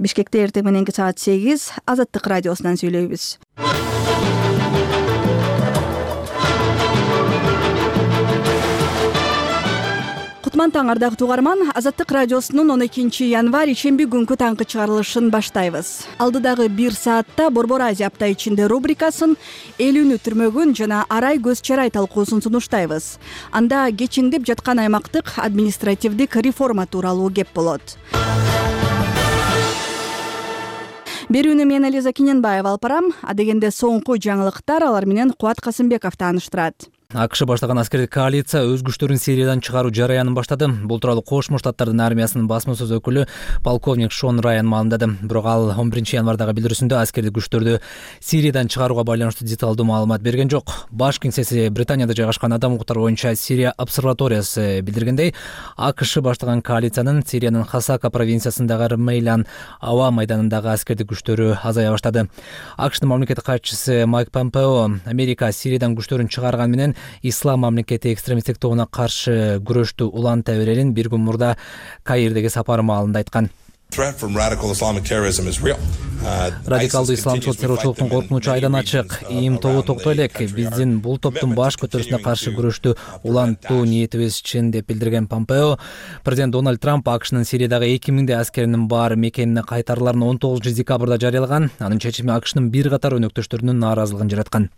Бишкекте эртең мененки саат 8 Азаттык радиосунан сүйлөйбүз. Кутман таң ардактуу угарман, Азаттык радиосунун 12 январь ишемби күнкү таңкы чыгарылышын баштайбыз. Алдыдагы 1 саатта Борбор Азия апта ичинде рубрикасын, элүүнү түрмөгүн жана арай көз чарай талкуусун сунуштайбыз. Анда кечиңдеп жаткан аймактык административдик реформа тууралуу кеп болот. Берүүнү мен Элиза Киненбаева алып барам. Адегенде соңку жаңылыктар алар менен Кубат Касымбеков тааныштырат. АКШ баштаган аскердик коалиция өз күчтөрүн Сириядан чыгаруу жараянын баштады. Бул тууралуу Кошмо Штаттардын армиясынын басма сөз өкүлү полковник Шон Райан маалымдады. Бирок ал 11 январдагы билдирүүсүндө аскердик күчтөрдү Сириядан чыгарууга байланыштуу деталдуу маалымат берген жок. Баш кеңсеси Британияда жайгашкан адам укуктары боюнча Сирия обсерваториясы билдиргендей, АКШ баштаган коалициянын Сириянын Хасака провинциясындагы Мейлан аба майданындагы аскердик күчтөрү азая баштады. АКШтын мамлекеттик катчысы Майк Помпео Америка Сириядан күчтөрүн чыгарган менен Ислам мамлекети экстремисттик тобуна каршы күрөштү уланта берерин бир күн мурда Каирдеги сапары маалында айткан. Радикалдуу исламчылык террорчулуктун коркунучу айдан ачык. ИИМ тобу токтой элек. Биздин бул топтун баш көтөрүүсүнө каршы күрөштү улантуу ниетибиз чын деп билдирген Помпео, президент Дональд Трамп АКШнын Сириядагы 2000 аскеринин бар мекенине кайтарыларын 19 декабрда жарыялаган. Анын чечими АКШнын бир катар өнөктөштөрүнүн нааразылыгын жараткан.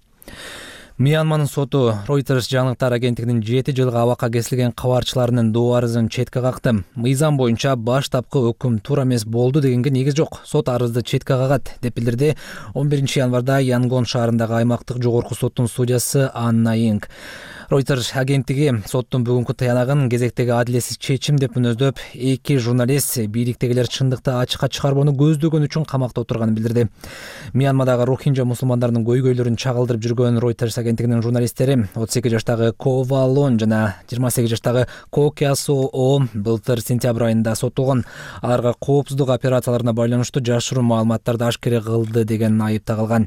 Мьянманын соту Reuters жаңылыктар агенттигинин 7 жылга абакка кесилген кабарчыларынын доо арызын четке какты. Мыйзам боюнча баштапкы өкүм туура эмес болду дегенге негиз жок. Сот арызды четке кагат деп билдирди 11 январда Янгон шаарындагы аймактык жогорку соттун судьясы Анна Инг. Reuters агенттиги соттун бүгүнкү таянагын кезектеги адилетсиз чечим деп мүнөздөп, эки журналист бийликтегилер чындыкты ачыкка чыгарбоону көздөгөн үчүн камакта отурганын билдирди. Мьянмадагы рохинжа мусулмандарынын көйгөйлөрүн чагылдырып жүргөн Reuters агенттигинин журналисттери 38 жаштагы Ко Валон жана 28 жаштагы Ко Кясо былтыр сентябрь айында соттолгон. Аларга коопсуздук операцияларына байланыштуу жашыруун маалыматтарды ашкере кылды деген айып тагылган.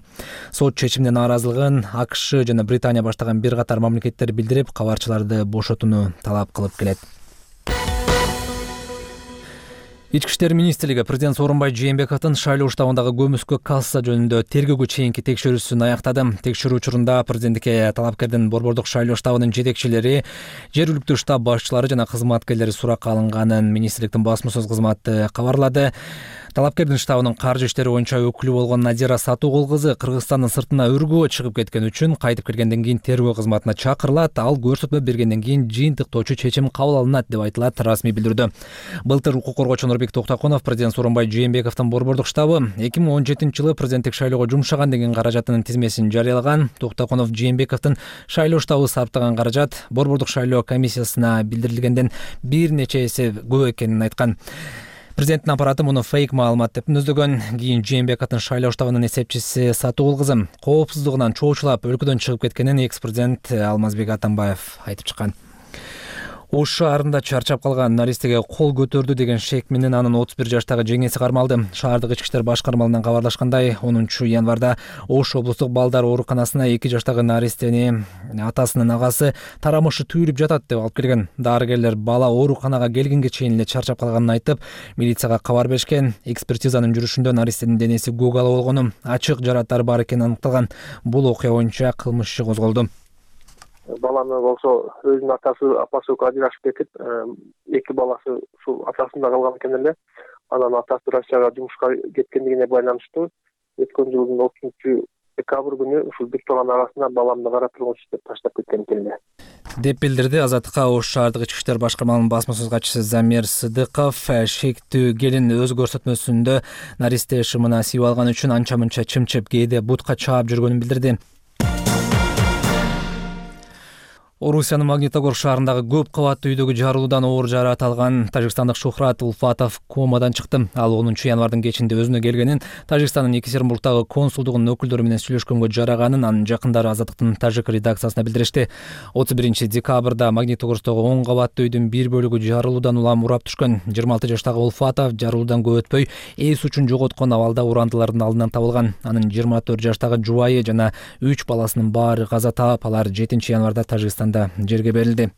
Сот чечимине нааразылыгын АКШ жана Британия баштаган бир катар мамлекеттер билдирип, кабарчыларды бошотууну талап кылып келет. Ички иштер министрлиги президент Сооронбай Жээнбековдун шайлоо штабындагы көмүскө касса жөнүндө тергөөгө чейинки текшерүүсүн аяктады. Текшерүү учурунда президенттикке талапкердин борбордук шайлоо штабынын жетекчилери, жергиликтүү штаб башчылары жана кызматкерлери суракка алынганын министрликтин басма сөз кызматы кабарлады. Талапкердин штабынын каржы иштери боюнча өкүлү болгон Надира Сатугул кызы Кыргызстандын сыртына өргөө чыгып кеткен үчүн кайтып келгенден кийин тергөө кызматына чакырылат, ал көрсөтмө бергенден кийин жыйынтыктоочу чечим кабыл алынат деп айтылат расмий билдирүүдө. Былтыр укук коргоочу Нурбек Токтоконов президент Сооронбай Жээнбековдун борбордук штабы 2017-жылы президенттик шайлоого жумшаган деген каражатынын тизмесин жарыялаган. Токтоконов Жээнбековдун шайлоо штабы сарптаган каражат борбордук шайлоо комиссиясына билдирилгенден бир нече эсе көп экенин айткан. Президенттин аппараты муну фейк маалымат деп мүнөздөгөн. Кийин Жээнбековдун шайлоо штабынын эсепчиси Сатугул кызы коопсуздугунан чоочулап өлкөдөн чыгып кеткенин экс-президент Алмазбек Атамбаев айтып чыккан. Ош шаарында чарчап калган наристеге кол көтөрдү деген шек менен анын 31 жаштагы жеңеси кармалды. Шаардык ички иштер башкармалынан кабарлашкандай, 10 январда Ош облустук балдар ооруканасына 2 жаштагы наристени атасынын агасы тарамышы түйүлүп жатат деп алып келген. Дарыгерлер бала ооруканага келгенге чейин эле чарчап калганын айтып, милицияга кабар беришкен. Экспертизанын жүрүшүндө наристенин денеси көк ала болгону, ачык жараттары бар экени аныкталган. Бул окуя боюнча кылмыш иши козголду. Баланы болсо өзүнүн апасы ажырашып кетип, эки баласы ушул атасында калган экен эле. Анан атасы Россияга жумушка кеткендигине байланыштуу өткөн жылдын 30 декабрь күнү ушул бир тууган арасында баламды карап тургунчу деп таштап кеткен экен эле. Деп билдирди Азаттыкка Ош шаардык ички иштер башкармалынын басма сөз катчысы Замир Сыдыков. Шектүү келин өз көрсөтмөсүндө наристе шымына сүйүп алган үчүн анча-мынча чымчып, кээде бутка чаап жүргөнүн билдирди. Орусиянын Магнитогорск шаарындагы көп кабаттуу үйдөгү жарылуудан оор жаракат алган тажикстандык Шухрат Улфатов комадан чыкты. Ал 10 январдын кечинде өзүнө келгенин, Тажикстандын Екатеринбургдагы консулдугунун өкүлдөрү менен сүйлөшкөнгө жараганын анын жакындары Азаттыктын тажик редакциясына билдиришти. 31 декабрда Магнитогорсктогу 10 кабаттуу үйдүн бир бөлүгү жарылуудан улам урап түшкөн. 26 жаштагы Улфатов жарылуудан көп өтпөй эс учун жоготкон абалда урандылардын алдынан табылган. Анын 24 жаштагы жубайы жана 3 баласынын баары каза таап, алар 7 январда Тажикстан жерге берилди.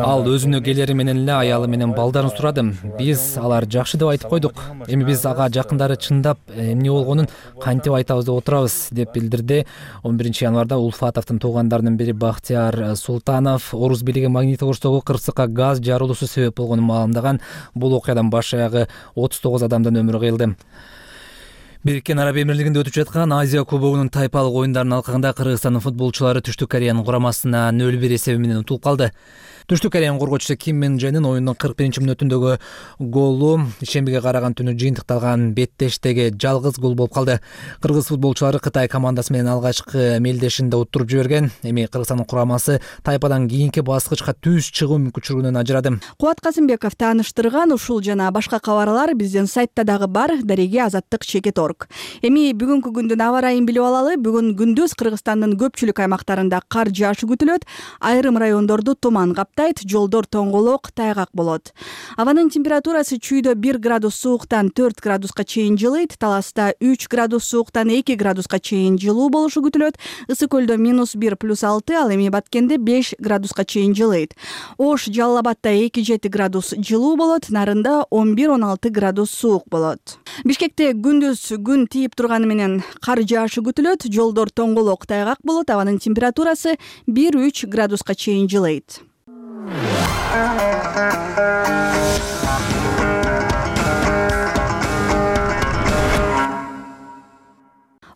Ал өзүнүн келери менен эле аялы менен балдарын сурадым. Биз алар жакшы деп айтып койдук. Эми биз ага жакындары чындап эмне болгонун кантип айтабыз деп отурабыз, деп билдирди 11 январда Ульфатовдун туугандарынын бири Бактияр Султанов. Орус бийлиги Магнитогорсдогу кырсыкка газ жарылуусу себеп болгонун маалымдаган. Бул окуядан баш аягы 39 адамдын өмүрү кыйылды. Бириккен Араб Эмирлигинде өтүп жаткан Азия кубогунун тайпалык оюндарынын алкагында Кыргызстандын футболчулары Түштүк Кореянын курамасына 0-1 эсеби менен утулуп калды. Түштүк Кореянын коргоочусу Ким Мен Дженин оюндун 41-мүнөтүндөгү голу ишембиге караган түнү жыйынтыкталган беттештеги жалгыз гол болуп калды. Кыргыз футболчулары Кытай командасы менен алгачкы мелдешинде уттуруп жиберген. Эми Кыргызстандын курамасы тайпадан кийинки баскычка түз чыгуу мүмкүнчүлүгүнөн ажырады. Кубат Казымбеков тааныштырган ушул жана башка кабарлар биздин сайтта дагы бар. Дареги Азаттык Чекет.org. Эми бүгүнкү күндүн аба ырайын билип алалы. Бүгүн күндүз Кыргызстандын көпчүлүк аймактарында кар жаашы күтүлөт. Айрым райондорду туман каптайт, жолдор тоңголок, тайгак болот. Абанын температурасы чүйдө 1 градус сууктан 4 градуска чейин жылыйт, Таласта 3 градус сууктан 2 градуска чейин жылуу болушу күтүлөт. Ысык көлдө -1 + 6, ал эми Баткенде 5 градуска чейин жылыйт. Ош, Жалал Абадда 2-7 градус жылуу болот, Нарында 11-16 градус суук болот. Бишкекте күндүз күн тийип турганы менен кар жаашы күтүлөт, жолдор тоңголок, тайгак болот, абанын температурасы 1-3 градуска чейин жылыйт.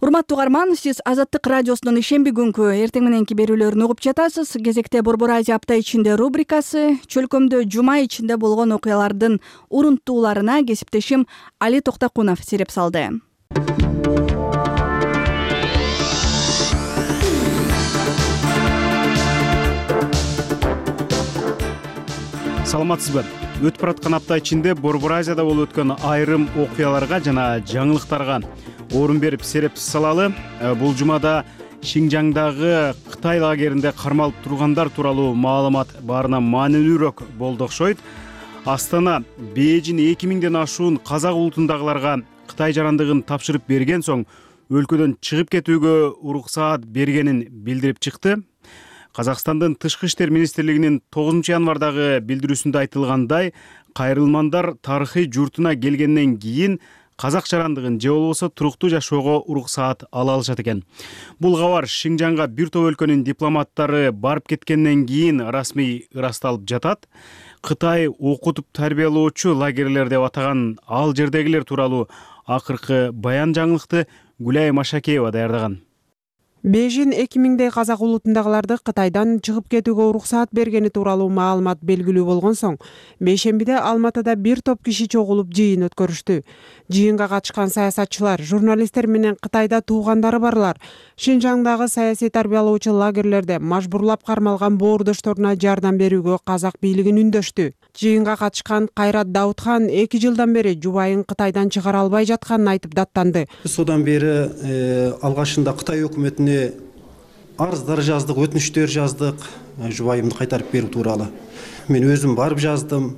Урматтуу угарман, сиз Азаттык радиосунун ишемби күнкү эртең мененки берүүлөрүн угуп жатасыз. Кезекте Борбор Азия апта ичинде рубрикасы. Чөлкөмдө жума ичинде болгон окуялардын урунттууларына кесиптешим Али Токтокунов сереп салды. Саламатсызбы? Өтүп бараткан апта ичинде Борбор Азияда болуп өткөн айрым окуяларга жана жаңылыктарга орун берип сереп салалы. Бул жумада Шинжаңдагы Кытай лагеринде кармалып тургандар тууралуу маалымат баарынан маанилүүрөөк болду окшойт. Астана Бээжин 2000ден ашуун казак улутундагыларга Кытай жарандыгын тапшырып берген соң өлкөдөн чыгып кетүүгө уруксаат бергенин билдирип чыкты. Казакстандын Тышкы иштер министрлигинин 9 январдагы билдирүүсүндө айтылгандай, кайрылмандар тарыхый журтуна келгенден кийин казак жарандыгын же болбосо туруктуу жашоого уруксаат ала алышат экен. Бул кабар Шинжаңга бир топ өлкөнүн дипломаттары барып кеткенден кийин расмий ырасталып жатат. Кытай окутуп тарбиялоочу лагерлер деп атаган ал жердегилер тууралуу акыркы баян жаңылыкты Гүлай Машакеева даярдаган. Бээжин 2000дей казак улутундагыларды Кытайдан чыгып кетүүгө уруксаат бергени тууралуу маалымат белгилүү болгон соң, бейшембиде Алматыда бир топ киши чогулуп жыйын өткөрүштү. Жыйынга катышкан саясатчылар, журналисттер менен Кытайда туугандары барлар Шинжаңдагы саясий тарбиялоочу лагерлерде мажбурлап кармалган боордошторуна жардам берүүгө казак бийлигин үндөштү. Жыйынга катышкан Кайрат Даутхан 2 жылдан бери жубайын Кытайдан чыгара албай жатканын айтып даттанды. Содан бери алгашында Кытай өкмөтүнө арыздар жаздык, өтүнүчтөр жаздык, жубайымды кайтарып берүү тууралуу. Мен өзүм барып жаздым,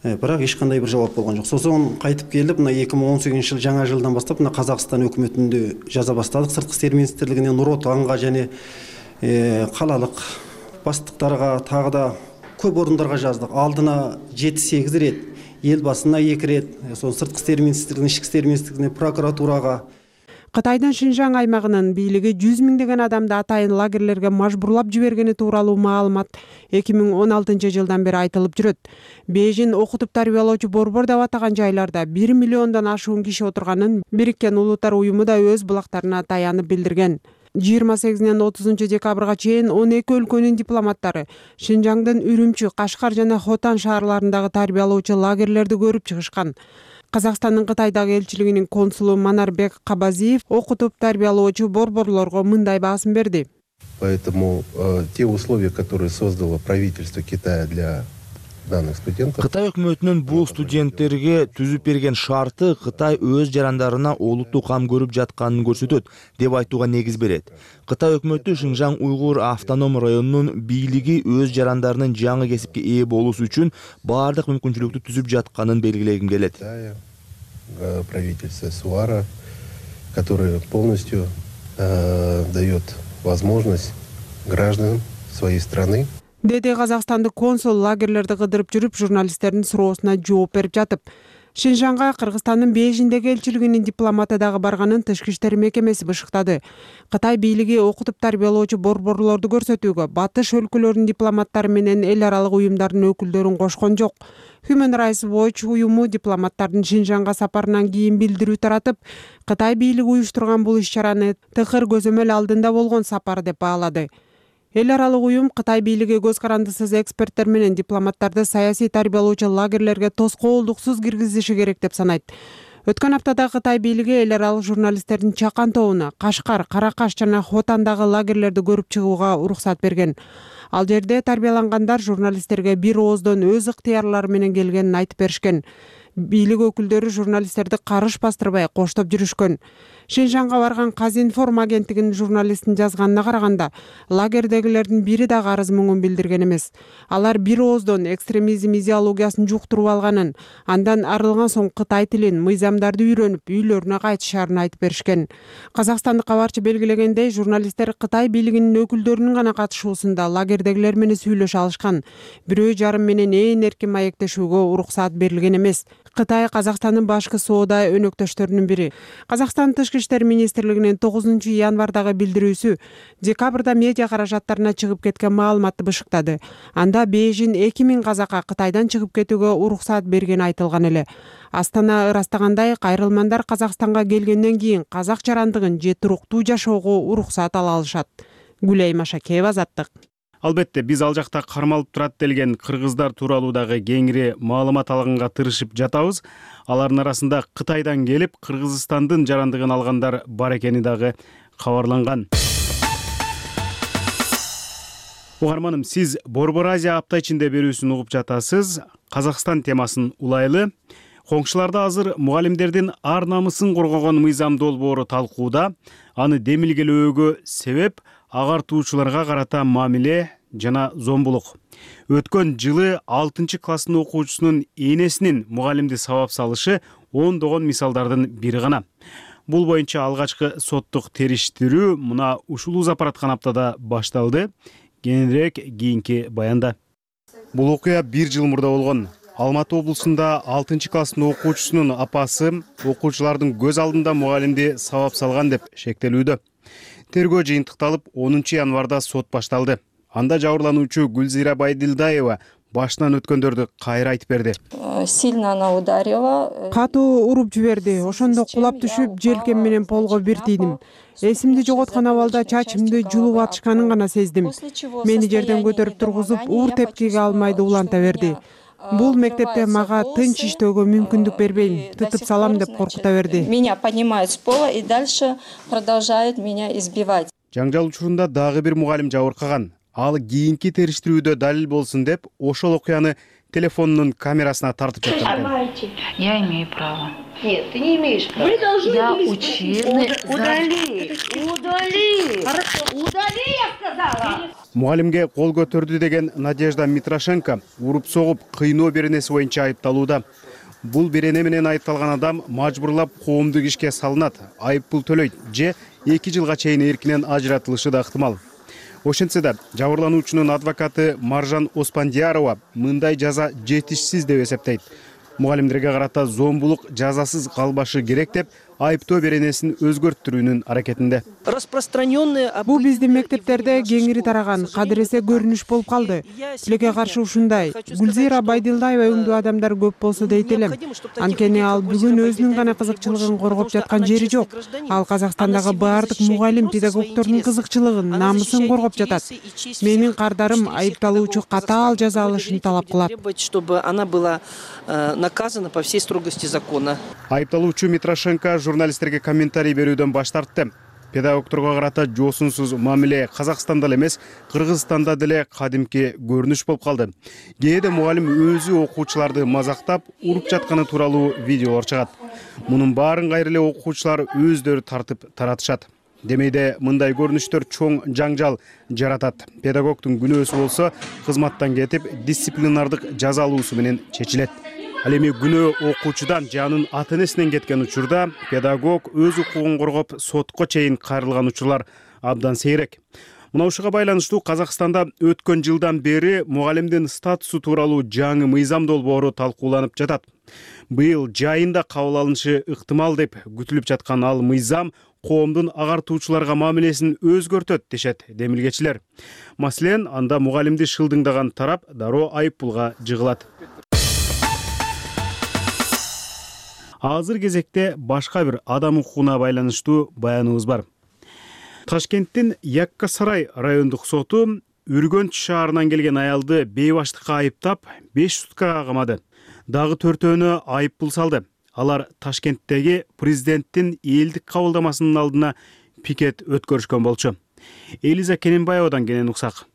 бирок эч кандай бир жооп болгон жок. Сосон кайтып келип, мына 2018 жаңа жылдан баштап мына Казакстан өкмөтүндө жаза баштадык. Сырткы иштер министрлигинин Нур Отанга жана калалык баштыктарга тагы да көп орундарга жаздык. Алдына 7-8 рет, эл басына 2 рет, сон сырткы иштер министрлигине, ички иштер министрлигине, прокуратурага. Кытайдын Шинжаң аймагынын бийлиги 100 миңдеген адамды атайын лагерлерге мажбурлап жибергени тууралуу маалымат 2016 жылдан бери айтылып жүрөт. Бээжин окутуп тарбиялоочу борбор деп атаган жайларда 1 миллиондон ашуун киши отурганын Бириккен Улуттар уюму да өз булактарына таянып билдирген. 28-нен 30 декабрга чейин 12 өлкөнүн дипломаттары Шинжаңдын Үрүмчү, Кашкар жана Хотан шаарларындагы тарбиялоочу лагерлерди көрүп чыгышкан. Казакстандын Кытайдагы элчилигинин консулу Манарбек Кабазиев окутуп тарбиялоочу борборлорго мындай баасын берди. Поэтому те условия, которые создало правительство Китая для данных студентов. Кытай өкмөтүнүн бул студенттерге түзүп берген шарты Кытай өз жарандарына олуттуу кам көрүп жатканын көрсөтөт деп айтууга негиз берет. Кытай өкмөтү Шинжаң уйгур автоном районунун бийлиги өз жарандарынын жаңы кесипке ээ болуусу үчүн баардык мүмкүнчүлүктү түзүп жатканын белгилегим келет. Правительство СУАРа, которое полностью дает возможность граждан своей страны. деди казакстандык консул лагерлерди кыдырып жүрүп журналисттердин суроосуна жооп берип жатып. Шинжанга Кыргызстандын Бейжиңдеги элчилигинин дипломаты дагы барганын Тышкы иштер мекемеси бышыктады. Кытай бийлиги окутуп тарбиялоочу борборлорду көрсөтүүгө батыш өлкөлөрүнүн дипломаттары менен эл аралык уюмдардын өкүлдөрүн кошкон жок. Human Rights Watch уюму дипломаттардын Шинжанга сапарынан кийин билдирүү таратып, Кытай бийлиги уюштурган бул иш-чараны тыкыр көзөмөл алдында болгон сапар деп баалады. Эл аралык уюм Кытай бийлиги көз карандысыз эксперттер менен дипломаттарды саясий тарбиялоочу лагерлерге тоскоолдуксуз киргизиши керек деп санайт. Өткөн аптада Кытай бийлиги эл аралык журналисттердин Чакан тобуна Кашкар, Каракаш жана Хотандагы лагерлерди көрүп чыгууга уруксат берген. Ал жерде тарбиялангандар журналисттерге бир ооздон өз ыктыярлары менен келгенин айтып беришкен. Бийлик өкүлдөрү журналисттерди карыш бастырбай коштоп жүрүшкөн. Шинжанга барган Казинформ агенттигинин журналистин жазганына караганда, лагердегилердин бири дагы арыз муңун билдирген эмес. Алар бир ооздон экстремизм идеологиясын жуктуруп алганын, андан арылган соң Кытай тилин, мыйзамдарды үйрөнүп, үйлөрүнө кайтышарын айтып беришкен. Казакстандык кабарчы белгилегендей, журналисттер Кытай бийлигинин өкүлдөрүнүн гана катышуусунда лагердегилер менен сүйлөшө алышкан. Бирөө жарым менен ээн эркин маектешүүгө уруксат берилген эмес. Кытай Казакстандын башкы соода өнөктөштөрүнүн бири. Казакстан Тышкы иштер министрлигинин 9 январдагы билдирүүсү декабрда медиа каражаттарына чыгып кеткен маалыматты бышыктады. Анда Бейжиң 2000 казакка Кытайдан чыгып кетүүгө уруксат бергени айтылган эле. Астана ырастагандай, кайрылмандар Казакстанга келгенден кийин казак жарандыгын же туруктуу жашоого уруксат ала алышат. Гүлай Машакеева, Азаттык. Албетте, биз ал жакта кармалып турат делген кыргыздар тууралуу дагы кеңири маалымат алганга тырышып жатабыз. Алардын арасында Кытайдан келип, Кыргызстандын жарандыгын алгандар бар экени дагы кабарланган. Угарманым, сиз Борбор Азия апта ичинде берүүсүн угуп жатасыз. Казакстан темасын улайлы. Коңшуларда азыр мугалимдердин ар намысын коргогон мыйзам долбоору талкууда. Аны демилгелөөгө себеп агартуучуларга карата мамиле жана зомбулук. Өткөн жылы 6 класстын окуучусунун энесинин мугалимди сабап салышы ондогон мисалдардын бири гана. Бул боюнча алгачкы соттук териштирүү мына ушул узапараткан аптада башталды. Кененирээк кийинки баянда. Бул окуя 1 жыл мурда болгон. Алматы облусунда 6 класстын окуучусунун апасы окуучулардын көз алдында мугалимди сабап салган деп шектелүүдө. Тергөө жыйынтыкталып 10 январда сот башталды. Анда жабырлануучу Гүлзира Байдилдаева башынан өткөндөрдү кайра айтып берди. Сильно она ударила. Катуу уруп жиберди. Ошондо кулап түшүп, желкем менен полго бир тийдим. Эсимди жоготкон абалда чачымды жулуп атышканын гана сездим. Мени жерден көтөрүп тургузуп, уур тепкиге алмайды уланта берди. Бул мектепте мага тынч иштөөгө мүмкүндүк бербейм, тытып салам деп коркута берди. Меня поднимают с пола и дальше продолжают меня избивать. Жаңжал учурунда дагы бир мугалим жабыркаган. Ал кийинки териштирүүдө далил болсун деп ошол окуяны телефонунун камерасына тартып жаткан экен. Я имею право. Нет, ты не имеешь права. Вы должны были Удали. Удали, я сказала. Мугалимге кол көтөрдү деген Надежда Митрошенко уруп согуп кыйноо беренеси боюнча айыпталууда. Бул берене менен айыпталган адам мажбурлап коомдук ишке салынат, айып пул төлөйт же 2 жылга чейин эркинен ажыратылышы да ыктымал. Ошентсе да жабырлануучунун адвокаты Маржан Оспандиярова мындай жаза жетишсиз деп эсептейт. Мугалимдерге карата зомбулук жазасыз калбашы керек деп айыптоо беренесин өзгөрттүрүүнүн аракетинде. Бул биздин мектептерде кеңири тараган, кадыресе көрүнүш болуп калды. Тилекке каршы ушундай. Гүлзира Байдилдаева өңдүү адамдар көп болсо дейт элем. Анткени ал бүгүн өзүнүн гана кызыкчылыгын коргоп жаткан жери жок. Ал Казакстандагы баардык мугалим педагогдордун кызыкчылыгын, намысын коргоп жатат. Менин кардарым айыпталуучу катаал жаза алышын талап кылат. Чтобы она была наказана по всей строгости закона. Айыпталуучу Митрошенко журналисттерге комментарий берүүдөн баш тартты. Педагогдорго карата жоосунсуз мамиле Казакстанда эмес, Кыргызстанда деле кадимки көрүнүш болуп калды. Кээде мугалим өзү окуучуларды мазактап, уруп жатканы тууралуу видеолор чыгат. Мунун баарын кайра эле окуучулар өздөрү тартып таратышат. Демейде мындай көрүнүштөр чоң жаңжал жаратат. Педагогдун күнөөсү болсо кызматтан кетип, дисциплинардык жаза алуусу менен чечилет. Ал эми күнөө окуучудан же анын ата-энесинен кеткен учурда педагог өз укугун коргоп сотко чейин кайрылган учурлар абдан сейрек. Мына ушуга байланыштуу Казакстанда өткөн жылдан бери мугалимдин статусу тууралуу жаңы мыйзам долбоору талкууланып жатат. Быйыл жайында кабыл алынышы ыктымал деп күтүлүп жаткан ал мыйзам коомдун агартуучуларга мамилесин өзгөртөт дешет демилгечилер. Маселен, анда мугалимди шылдыңдаган тарап дароо айып пулга жыгылат. Азыр кезекте башка бир адам укугуна байланыштуу баяныбыз бар. Ташкенттин Якка Сарай райондук соту Үргөнч шаарынан келген аялды бейбаштыкка айыптап 5 суткага камады. Дагы 4-өөнө айып пул салды. Алар Ташкенттеги президенттин элдик кабылдамасынын алдына пикет өткөрүшкөн болчу. Элиза Кененбаевадан кенен уксак.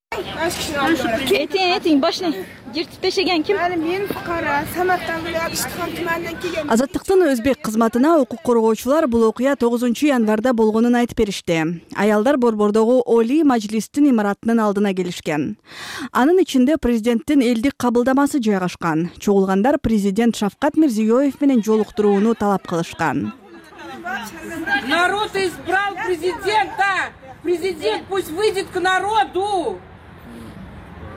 Этиң башына жертипешеген ким? Мен фукара, Самарканд Абишхан туманынан келген. Азаттыктын өзбек кызматына укук коргоочулар бул окуя 9-январда болгонун айтып беришти. Аялдар Борбордогу Олий Мажлистин имаратынын алдына келишкен. Анын ичинде президенттин элдик кабылдамасы жайгашкан. Чогулгандар президент Шавкат Мирзиёев менен жолуктурууну талап кылышкан. Народ избрал президента. Президент пусть выйдет к народу.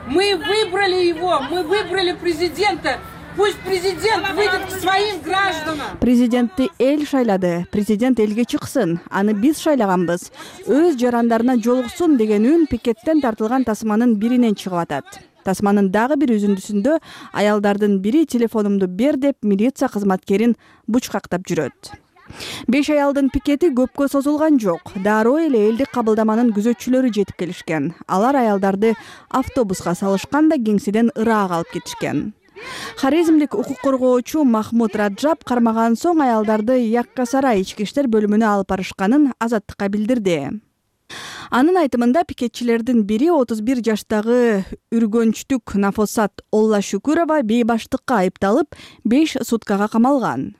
Мы выбрали его, мы выбрали президента. Пусть президент выйдет к своим гражданам. Президентти эл шайлады. Президент элге чыксын. Аны биз шайлаганбыз. Өз жарандарына жолуксун деген үн пикеттен тартылган тасманын биринен чыгып атат. Тасманын дагы бир үзүндүсүндө аялдардын бири телефонумду бер деп милиция кызматкерин бучкактап жүрөт. 5 аялдын пикети көпкө созулган жок. Дароо эле элдик кабылдаманын күзөтчүлөрү жетип келишкен. Алар аялдарды автобуска салышкан да кеңседен ыраак алып кетишкен. Хорезмдик укук коргоочу Махмуд Раджаб кармаган соң аялдарды Якка Сарай ички иштер бөлүмүнө алып барышканын Азаттыкка билдирди. Анын айтымында пикетчилердин бири 31 жаштагы үргөнчтүк Нафосат Оллашүкүрова бейбаштыкка айыпталып 5 суткага камалган.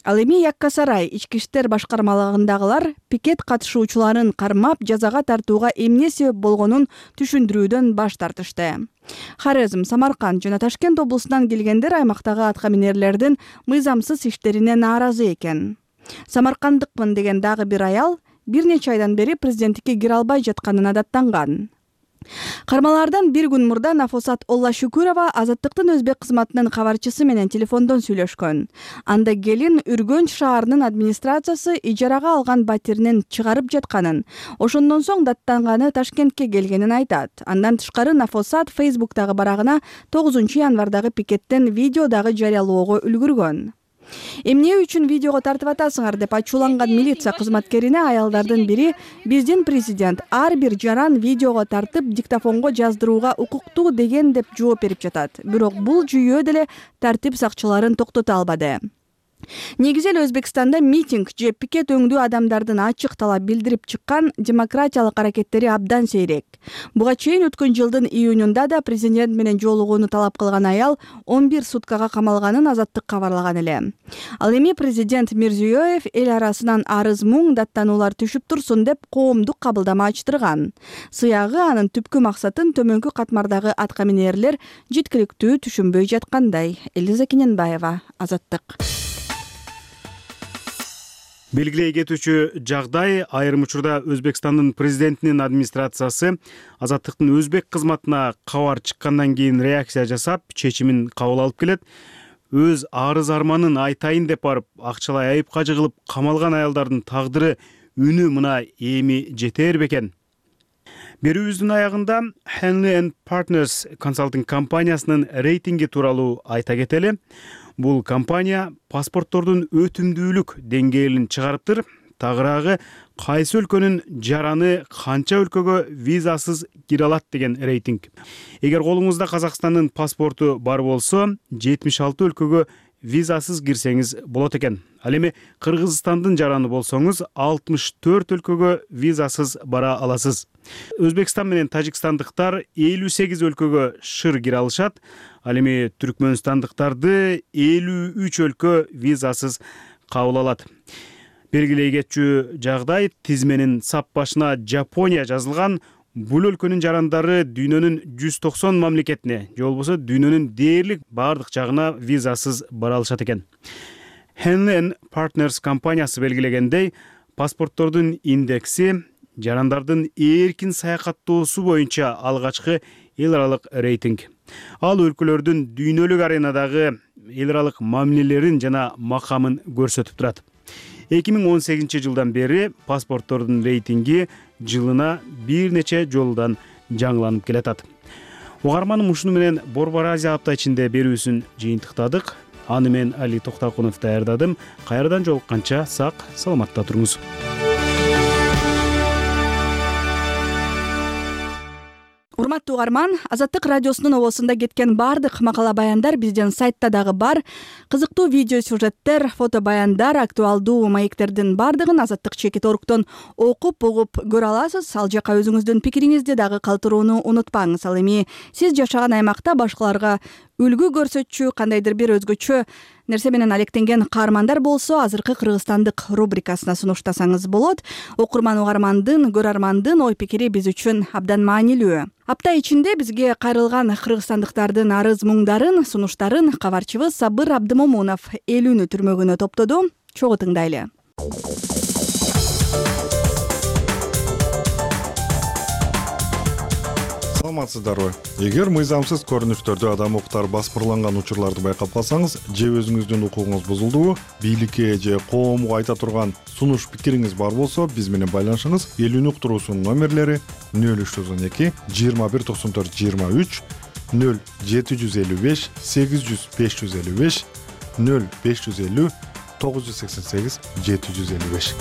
Ал эми Якка Сарай ички иштер башкармалыгындагылар пикет катышуучуларын кармап жазага тартууга эмне себеп болгонун түшүндүрүүдөн баш тартышты. Хорезм, Самарканд жана Ташкент облусунан келгендер аймактагы атка минерлердин мыйзамсыз иштерине нааразы экен. Самаркандыкмын деген дагы бир аял бир нече айдан бери президенттикке кире албай жатканына даттанган. Кармалардан бир күн мурда Нафосат Оллашүкүрова Азаттыктын өзбек кызматынын кабарчысы менен телефондон сүйлөшкөн. Анда келин Үргөнч шаарынын администрациясы ижарага алган батиринин чыгарып жатканын, ошондон соң даттанганы Ташкентке келгенин айтат. Андан тышкары Нафосат Facebook'тагы барагына 9-январдагы пикеттен видео дагы жарыялоого үлгүргөн. Эмне үчүн видеого тартып атасыңар деп ачууланган милиция кызматкерине аялдардын бири биздин президент ар бир жаран видеого тартып диктофонго жаздырууга укуктуу деген деп жооп берип жатат. Бирок бул жүйө деле тартип сакчыларын токтото албады. Негизи эле Өзбекстанда митинг же пикет өңдүү адамдардын ачык талап билдирип чыккан демократиялык аракеттери абдан сейрек. Буга чейин өткөн жылдын июнунда да президент менен жолугууну талап кылган аял 11 суткага камалганын Азаттык кабарлаган эле. Ал эми президент Мирзиёев эл арасынан арыз муң даттануулар түшүп турсун деп коомдук кабылдама ачтырган. Сыягы анын түпкү максатын төмөнкү катмардагы атка минерлер жеткиликтүү түшүнбөй жаткандай. Элиза Кененбаева, Азаттык. Белгилей кетүүчү жагдай айрым учурда Өзбекстандын президентинин администрациясы Азаттыктын өзбек кызматына кабар чыккандан кийин реакция жасап, чечимин кабыл алып келет. Өз арыз арманын айтайын деп барып, акчалай айыпка жыгылып камалган аялдардын тагдыры үнү мына эми жетер бекен. Берүүбүздүн аягында Henley & Partners консалтинг компаниясынын рейтинги тууралуу айта кетели. Бул компания паспорттордун өтүмдүүлүк деңгээлин чыгарыптыр. Тагыраагы кайсы өлкөнүн жараны канча өлкөгө визасыз кире алат деген рейтинг. Эгер колуңузда Казакстандын паспорту бар болсо, 76 өлкөгө визасыз кирсеңиз болот экен. Ал эми Кыргызстандын жараны болсоңуз 64 өлкөгө визасыз бара аласыз. Өзбекстан менен тажикстандыктар 58 өлкөгө шыр кире алышат. Ал эми түркмөнстандыктарды 53 өлкө визасыз кабыл алат. Белгилей кетчү жагдай тизменин сап башына Жапония жазылган. Бул өлкөнүн жарандары дүйнөнүн 190 мамлекетине, же болбосо дүйнөнүн дээрлик бардык жагына визасыз бара алышат экен. Henley & Partners компаниясы белгилегендей, паспорттордун индекси жарандардын эркин саякаттоосу боюнча алгачкы эл аралык рейтинг. Ал өлкөлөрдүн дүйнөлүк аренадагы эл аралык мамилелерин жана макамын көрсөтүп турат. 2018 жылдан бери паспорттордун рейтинги жылына бир нече жолдан жаңыланып келатат. Угарманым ушуну менен Борбор Азия апта ичинде берүүсүн жыйынтыктадык. Аны мен Али Токтакунов даярдадым. Кайрадан жолукканча сак саламатта туруңуз. Урматтуу угарман, Азаттык радиосунун обосунда кеткен бардык макала баяндар биздин сайтта дагы бар. Кызыктуу видео сюжеттер, фото баяндар, актуалдуу маектердин бардыгын azattik.org окуп, угуп көрө аласыз. Ал жака өзүңүздүн пикириңизди дагы калтырууну унутпаңыз. Ал эми сиз жашаган аймакта башкаларга үлгү көрсөтчү, кандайдыр бир өзгөчө нерсе менен алектенген каармандар болсо, азыркы кыргызстандык рубрикасына сунуштасаңыз болот. Окурман угармандын, көрөрмандын ой пикири биз үчүн абдан маанилүү. Апта ичинде бизге кайрылган кыргызстандыктардын арыз муңдарын, сунуштарын кабарчыбыз Сабыр Абдымомунов элүүнү түрмөгүнө топтоду. Чогуу тыңдайлы. Саламатсыздарбы? Эгер мыйзамсыз көрүнүштөрдө адам укуктары баспырланган учурларды байкап калсаңыз, же өзүңүздүн укугуңуз бузулдубу, бийликке же коомго айта турган сунуш пикириңиз бар болсо, биз менен байланышыңыз. Элүүнү уктуруусунун номерлери 0312 2194 23 0755 800 555 0550 988 755.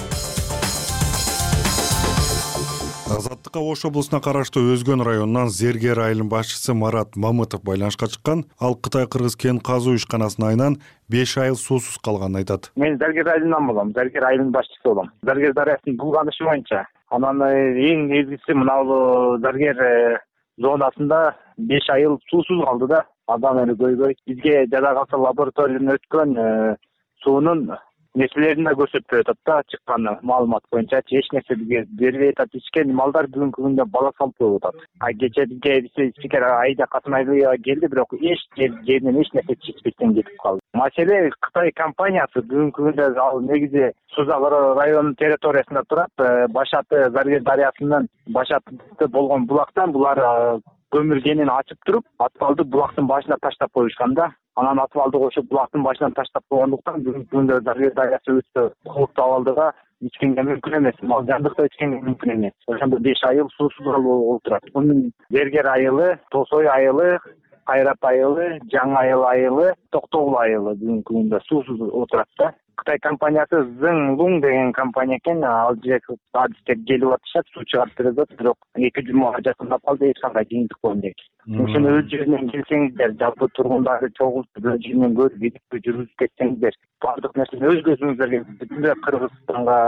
Азаттыкка Ош облусуна караштуу Өзгөн районунан Зергер айылынын башчысы Марат Мамытов байланышка чыккан. Ал Кытай-Кыргыз кен казуу ишканасынын айынан 5 айыл суусуз калганын айтат. Мен Зергер айылынан болом, Зергер айылынын башчысы болом. Зергер дарыясынын булганышы боюнча анан эң негизгиси мына Зергер зонасында 5 айыл суусуз калды да. Адам эле көйгөй. Бизге жада калса лабораториядан өткөн суунун нерселерин да көрсөтпөй атат да, чыккан маалымат боюнча эч нерсе бизге бербей атат. Ичкен малдар бүгүнкү күндө бала салып коюп атат. Кечеге спикер Айда Касымайлыева келди, бирок эч жеринен эч нерсе чечпестен кетип калды. Маселе Кытай компаниясы бүгүнкү күндө ал негизи Сузак районунун территориясында турат. Башаты Зергер дарыясынын башаты болгон булактан булар көмүр кенин ачып туруп, атвалды булактын башына таштап коюшкан да. Анан атвалды кошуп булактын башынан таштап койгондуктан бүгүнкү күндө Зергер дарыясы өтө кооптуу абалдыга ичкенге мүмкүн эмес. Мал жандыкта ичкенге мүмкүн эмес. Ошондо 5 айыл суусуз болуп турат. Мунун Зергер айылы, Тосой айылы, Кайрат айылы, Жаңы айылы, Токтогул айылы бүгүнкү күндө суусуз отурат да. Кытай компаниясы Зыңлуң деген компания экен, ал жерге адистер келип атышат, суу чыгарып берет, бирок 2 жумага жакындап калды, эч кандай кыйынчылык болбойт. Ошону өз жеринен келсеңиздер, жалпы тургундарды чогултуп өз жеринен көрүп, видео жүргүзүп кетсеңиздер, бардык нерсени өз көзүңүздөргө бүтүндөй Кыргызстанга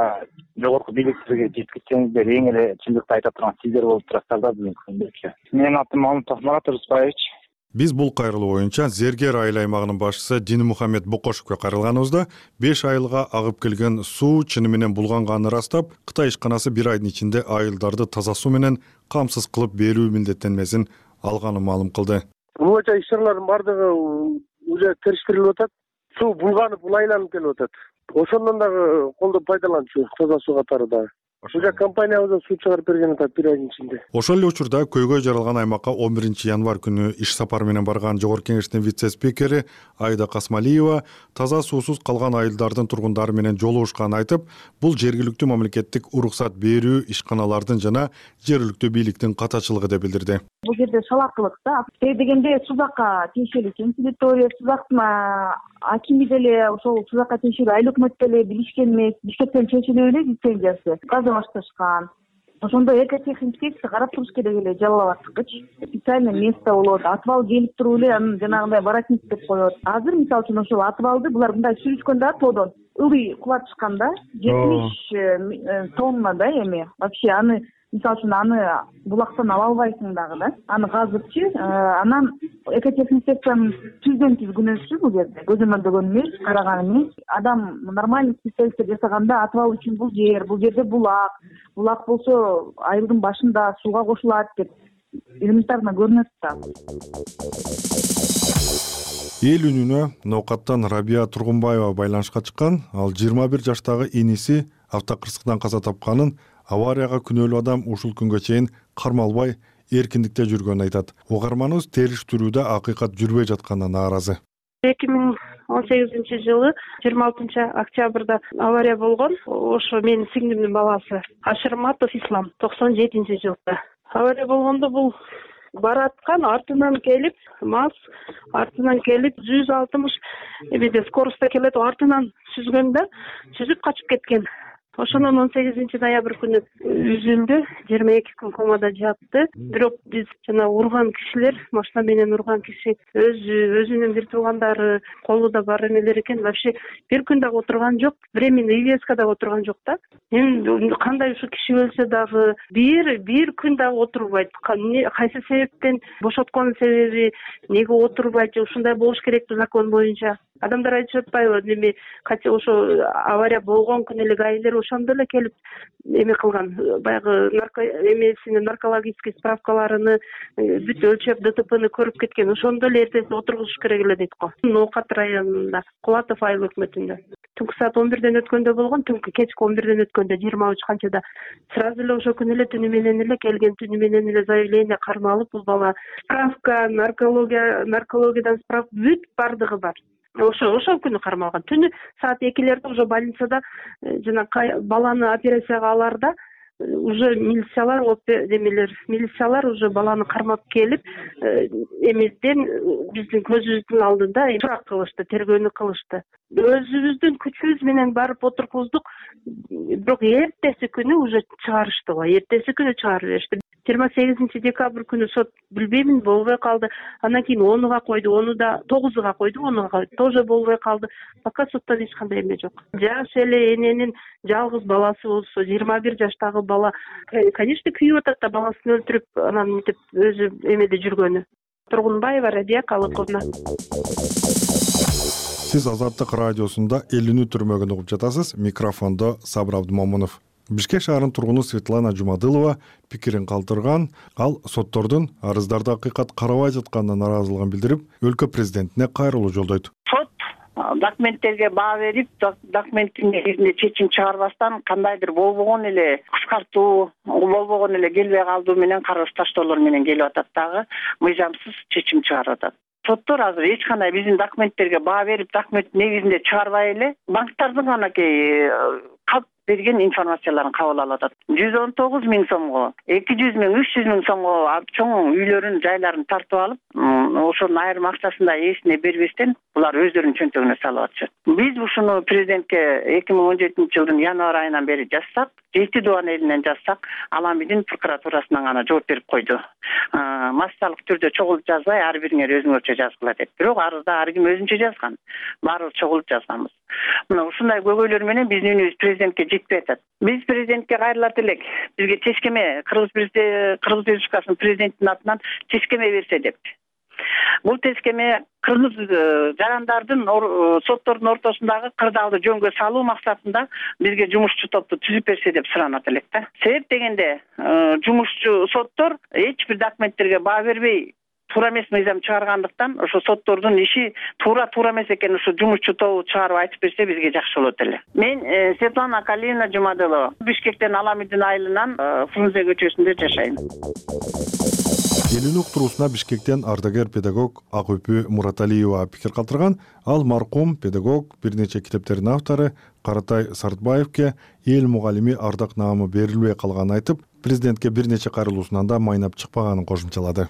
жогорку бийликтерге жеткизсеңиздер, эң эле чындыкты айта турган сиздер болуп турасыздар да бүгүнкү күндө. Менин атым Марат Рыспаевич. Биз бул кайрылуу боюнча Зергер айыл аймагынын башчысы Динмухамед Бокошевке кайрылганыбызда 5 айылга агып келген суу чыны менен булганганын ырастап, Кытай ишканасы 1 айдын ичинде айылдарды таза суу менен камсыз кылып берүү милдеттенмесин алганын маалым кылды. Бул боюнча иш-чаралардын бардыгы уже териштирилип атат. Суу булганып, айланып келип атат. Ошондон дагы колдоп пайдаланчу таза суу катары дагы. Уже компаниябыздан суу чыгарып берген атат 1 айдын ичинде. Ошол эле учурда көйгөй жаралган аймакка 11 январь күнү иш сапары менен барган Жогорку Кеңештин вице-спикери Айда Касымайлыева таза суусуз калган айылдардын тургундары менен жолугушканын айтып, бул жергиликтүү мамлекеттик уруксат берүү ишканалардын жана жергиликтүү бийликтин катачылыгы деп билдирди. Бул жерде шалакылык да. Дегенде Сузакка тиешелүү кең территория, Сузактын акими деле ошол Сузакка тиешелүү айыл өкмөт деле билишкен эмес. Бишкектен чечилип эле лицензиясы башташкан. Ошондо экотехинспекция карап туруш керек эле жалал абадтыкычы. Специальный место болот. Атвал келип туруп эле анын жанагындай воротник деп коет. Азыр мисалы үчүн ошол атвалды булар мындай сүрүшкөндө тоодон ылый кулатышкан да. 70 тонна да эми. Вообще аны мисалы үчүн аны булактан ала албайсың дагы да. Аны казыпчы, анан экотехинспекциянын түздөн түз күнөөсү бул жерде. Көзөмөлдөгөн эмес, караган эмес. Адам нормальный специалисттер жасаганда атвал үчүн бул жерде булак болсо айылдын башында сууга кошулат деп элементарно көрүнөт да. Эл үнүнө Ноокаттан Рабия Тургунбаева байланышка чыккан. Ал 21 жаштагы иниси автокырсыктан каза тапканын, аварияга күнөөлүү адам ушул күнгө чейин кармалбай эркиндикте жүргөнүн айтат. Угарманыбыз териштирүүдө акыйкат жүрбөй жатканына нааразы. 2018 жылы 26 октябрда авария болгон. Ошо менин сиңдимдин баласы Ашырматов Ислам 97 жылда. Авария болгондо бул бараткан артынан келип, МАЗ артынан келип 160 эмеде скоростта келет, артынан сүзгөндө сүзүп качып кеткен. Ошондон 18 ноябрь күнү үзүлдү, 22 күн комада жатты. Бирок биз жана урган кишилер, машина менен урган киши өзүнүн бир туугандары колунда бар эмелер экен. Вообще бир күн дагы отурган жок, временный ивеска дагы отурган жок да. Эми кандай ушу киши өлсө дагы бир күн дагы отурбайт. Кайсы себептен бошоткон себеби, неге отурбайт, ушундай болуш керекпи закон боюнча. Адамдар айтып атпайбы, эми ошо авария болгон күнү эле гаилер ошондо эле келип эме кылган, баягы наркологический справкаларыны бүт өлчөп, ДТПны көрүп кеткен. Ошондо эле эртеси отургузуш керек эле дейт го. Ноокат районунда, Кулатов айыл өкмөтүндө. Түнкү саат 11ден өткөндө болгон, түнкү кечки 11ден өткөндө 23 канчада. Сразу эле ошо күнү эле түнү менен эле келген, түнү менен эле заявление кармалып, бул бала справка, наркологиядан справка бүт бардыгы бар. Ошол күнү кармалган. Түнү саат 2лерде уже больницада жана баланы операцияга аларда уже милициялар уже баланы кармап келип, эмеден биздин көзүбүздүн алдында сурак кылышты, тергөөнү кылышты. Өзүбүздүн күчүбүз менен барып отургуздук, бирок эртеси күнү уже чыгарышты го. Эртеси күнү чыгарып беришти. 28 декабрь күнү сот билбеймин, болбой калды. Андан кийин 10-га койду, 9-га койду, 10-га тоже болбой калды. Пока соттон эч кандай эме жок. Жаш эле эненин жалгыз баласы болсо, 21 жаштагы бала, конечно, күйүп атат да, баласын өлтүрүп, анан мынтип өзү эмеде жүргөнү. Тургунбаева Рабия Калыковна. Сиз Азаттык радиосунда Элүүнү түрмөгүн угуп жатасыз. Микрофондо Сабыр Абдымомунов. Бишкек шаарынын тургуну Светлана Жумадылова пикирин калтырган. Ал соттордун арыздарды акыйкат карабай жатканына нааразылыгын билдирип, өлкө президентине кайрылуу жолдойт. Сот документтерге баа берип, документтин негизинде чечим чыгарбастан кандайдыр болбогон эле кыскартуу, болбогон эле келбей калдуу менен каргыш таштоолор менен келип атат дагы, мыйзамсыз чечим чыгарып атат. Соттор азыр эч кандай биздин документтерге баа берип, документтин негизинде чыгарбай эле банктардын анакей калп берген информацияларын кабыл алып атат. 119 миң сомго, 200 миң, 300 миң сомго чоң үйлөрүн, жайларын тартып алып, ошонун айрым акчасын да ээсине бербестен булар өздөрүнүн чөнтөгүнө салып атышат. Биз ушуну президентке 2017 жылдын январь айынан бери жазсак, 7 дубан элинен жазсак, Аламидин прокуратурасынан гана жооп берип койду. Массалык түрдө чогулуп жазбай, ар бириңер өзүңөрчө жазгыла деп. Бирок арызда ар ким өзүнчө жазган. Баарыбыз чогулуп жазганбыз. Мына ушундай көйгөйлөр менен биздин үнүбүз президентке жетпей атат. Биз президентке кайрылат элек. Бизге чечкеме, Кыргыз Республикасынын президентинин атынан чечкеме берсе деп. Бул чечкеме кыргыз жарандардын соттордун ортосундагы кырдаалды жөнгө салуу максатында бизге жумушчу топту түзүп берсе деп суранат элек да. Себеп дегенде жумушчу соттор эч бир документтерге баа бербей туура эмес мыйзам чыгаргандыктан ошо соттордун иши туура эмес экенин ушу жумушчу тобу чыгарып айтып берсе бизге жакшы болот эле. Мен Светлана Калиевна Жумадылова, Бишкектен Аламидин айылынан Фрунзе көчөсүндө жашайм. Элүүнү уктуруусуна Бишкектен ардагер педагог Акөпү Мураталиева пикир калтырган. Ал маркум педагог, бир нече китептердин автору Каратай Сартбаевке эл мугалими ардак наамы берилбей калганын айтып, президентке бир нече кайрылуусунан да майнап чыкпаганын кошумчалады.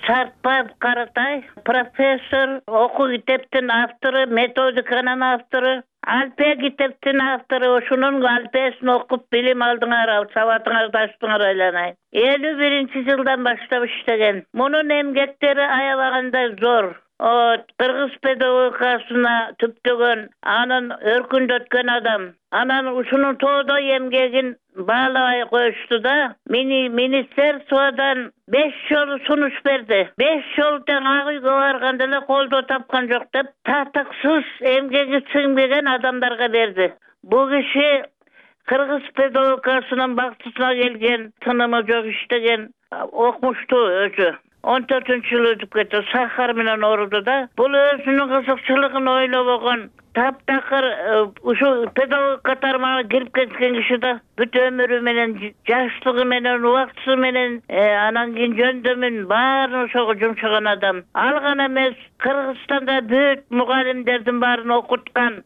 Сартбаев Каратай профессор, окуу китептин автору, методиканын автору, алпе китептин автору, ошонун алпесин окуп билим алдыңар, сабатыңарды ачтыңар айланайын. 51 жылдан баштап иштеген. Мунун эмгектери аябагандай зор. Кыргыз педагогикасына түптөгөн, анын өркүндөткөн адам. Анан ушунун тоодой эмгегин баалабай коюшту да, министерстводон 5 жолу сунуш берди. 5 жолу тең ак үйгө барганда эле колдоо тапкан жок деп, татыксыз эмгеги сиңбеген адамдарга берди. Бул киши кыргыз педагогикасынын бактысына келген, тынымы жок иштеген, окумуштуу өзү. 14-жылы өтүп кетти, сахар менен ооруду да. Бул өзүнүн кызыкчылыгын ойлобогон, таптакыр ушу педагогика тармагына кирип кеткен киши да бүт өмүрү менен, жаштыгы менен, убактысы менен, анан кийин жөндөмүн баарын ошого жумшаган адам. Ал гана эмес, Кыргызстанда бүт мугалимдердин баарын окуткан.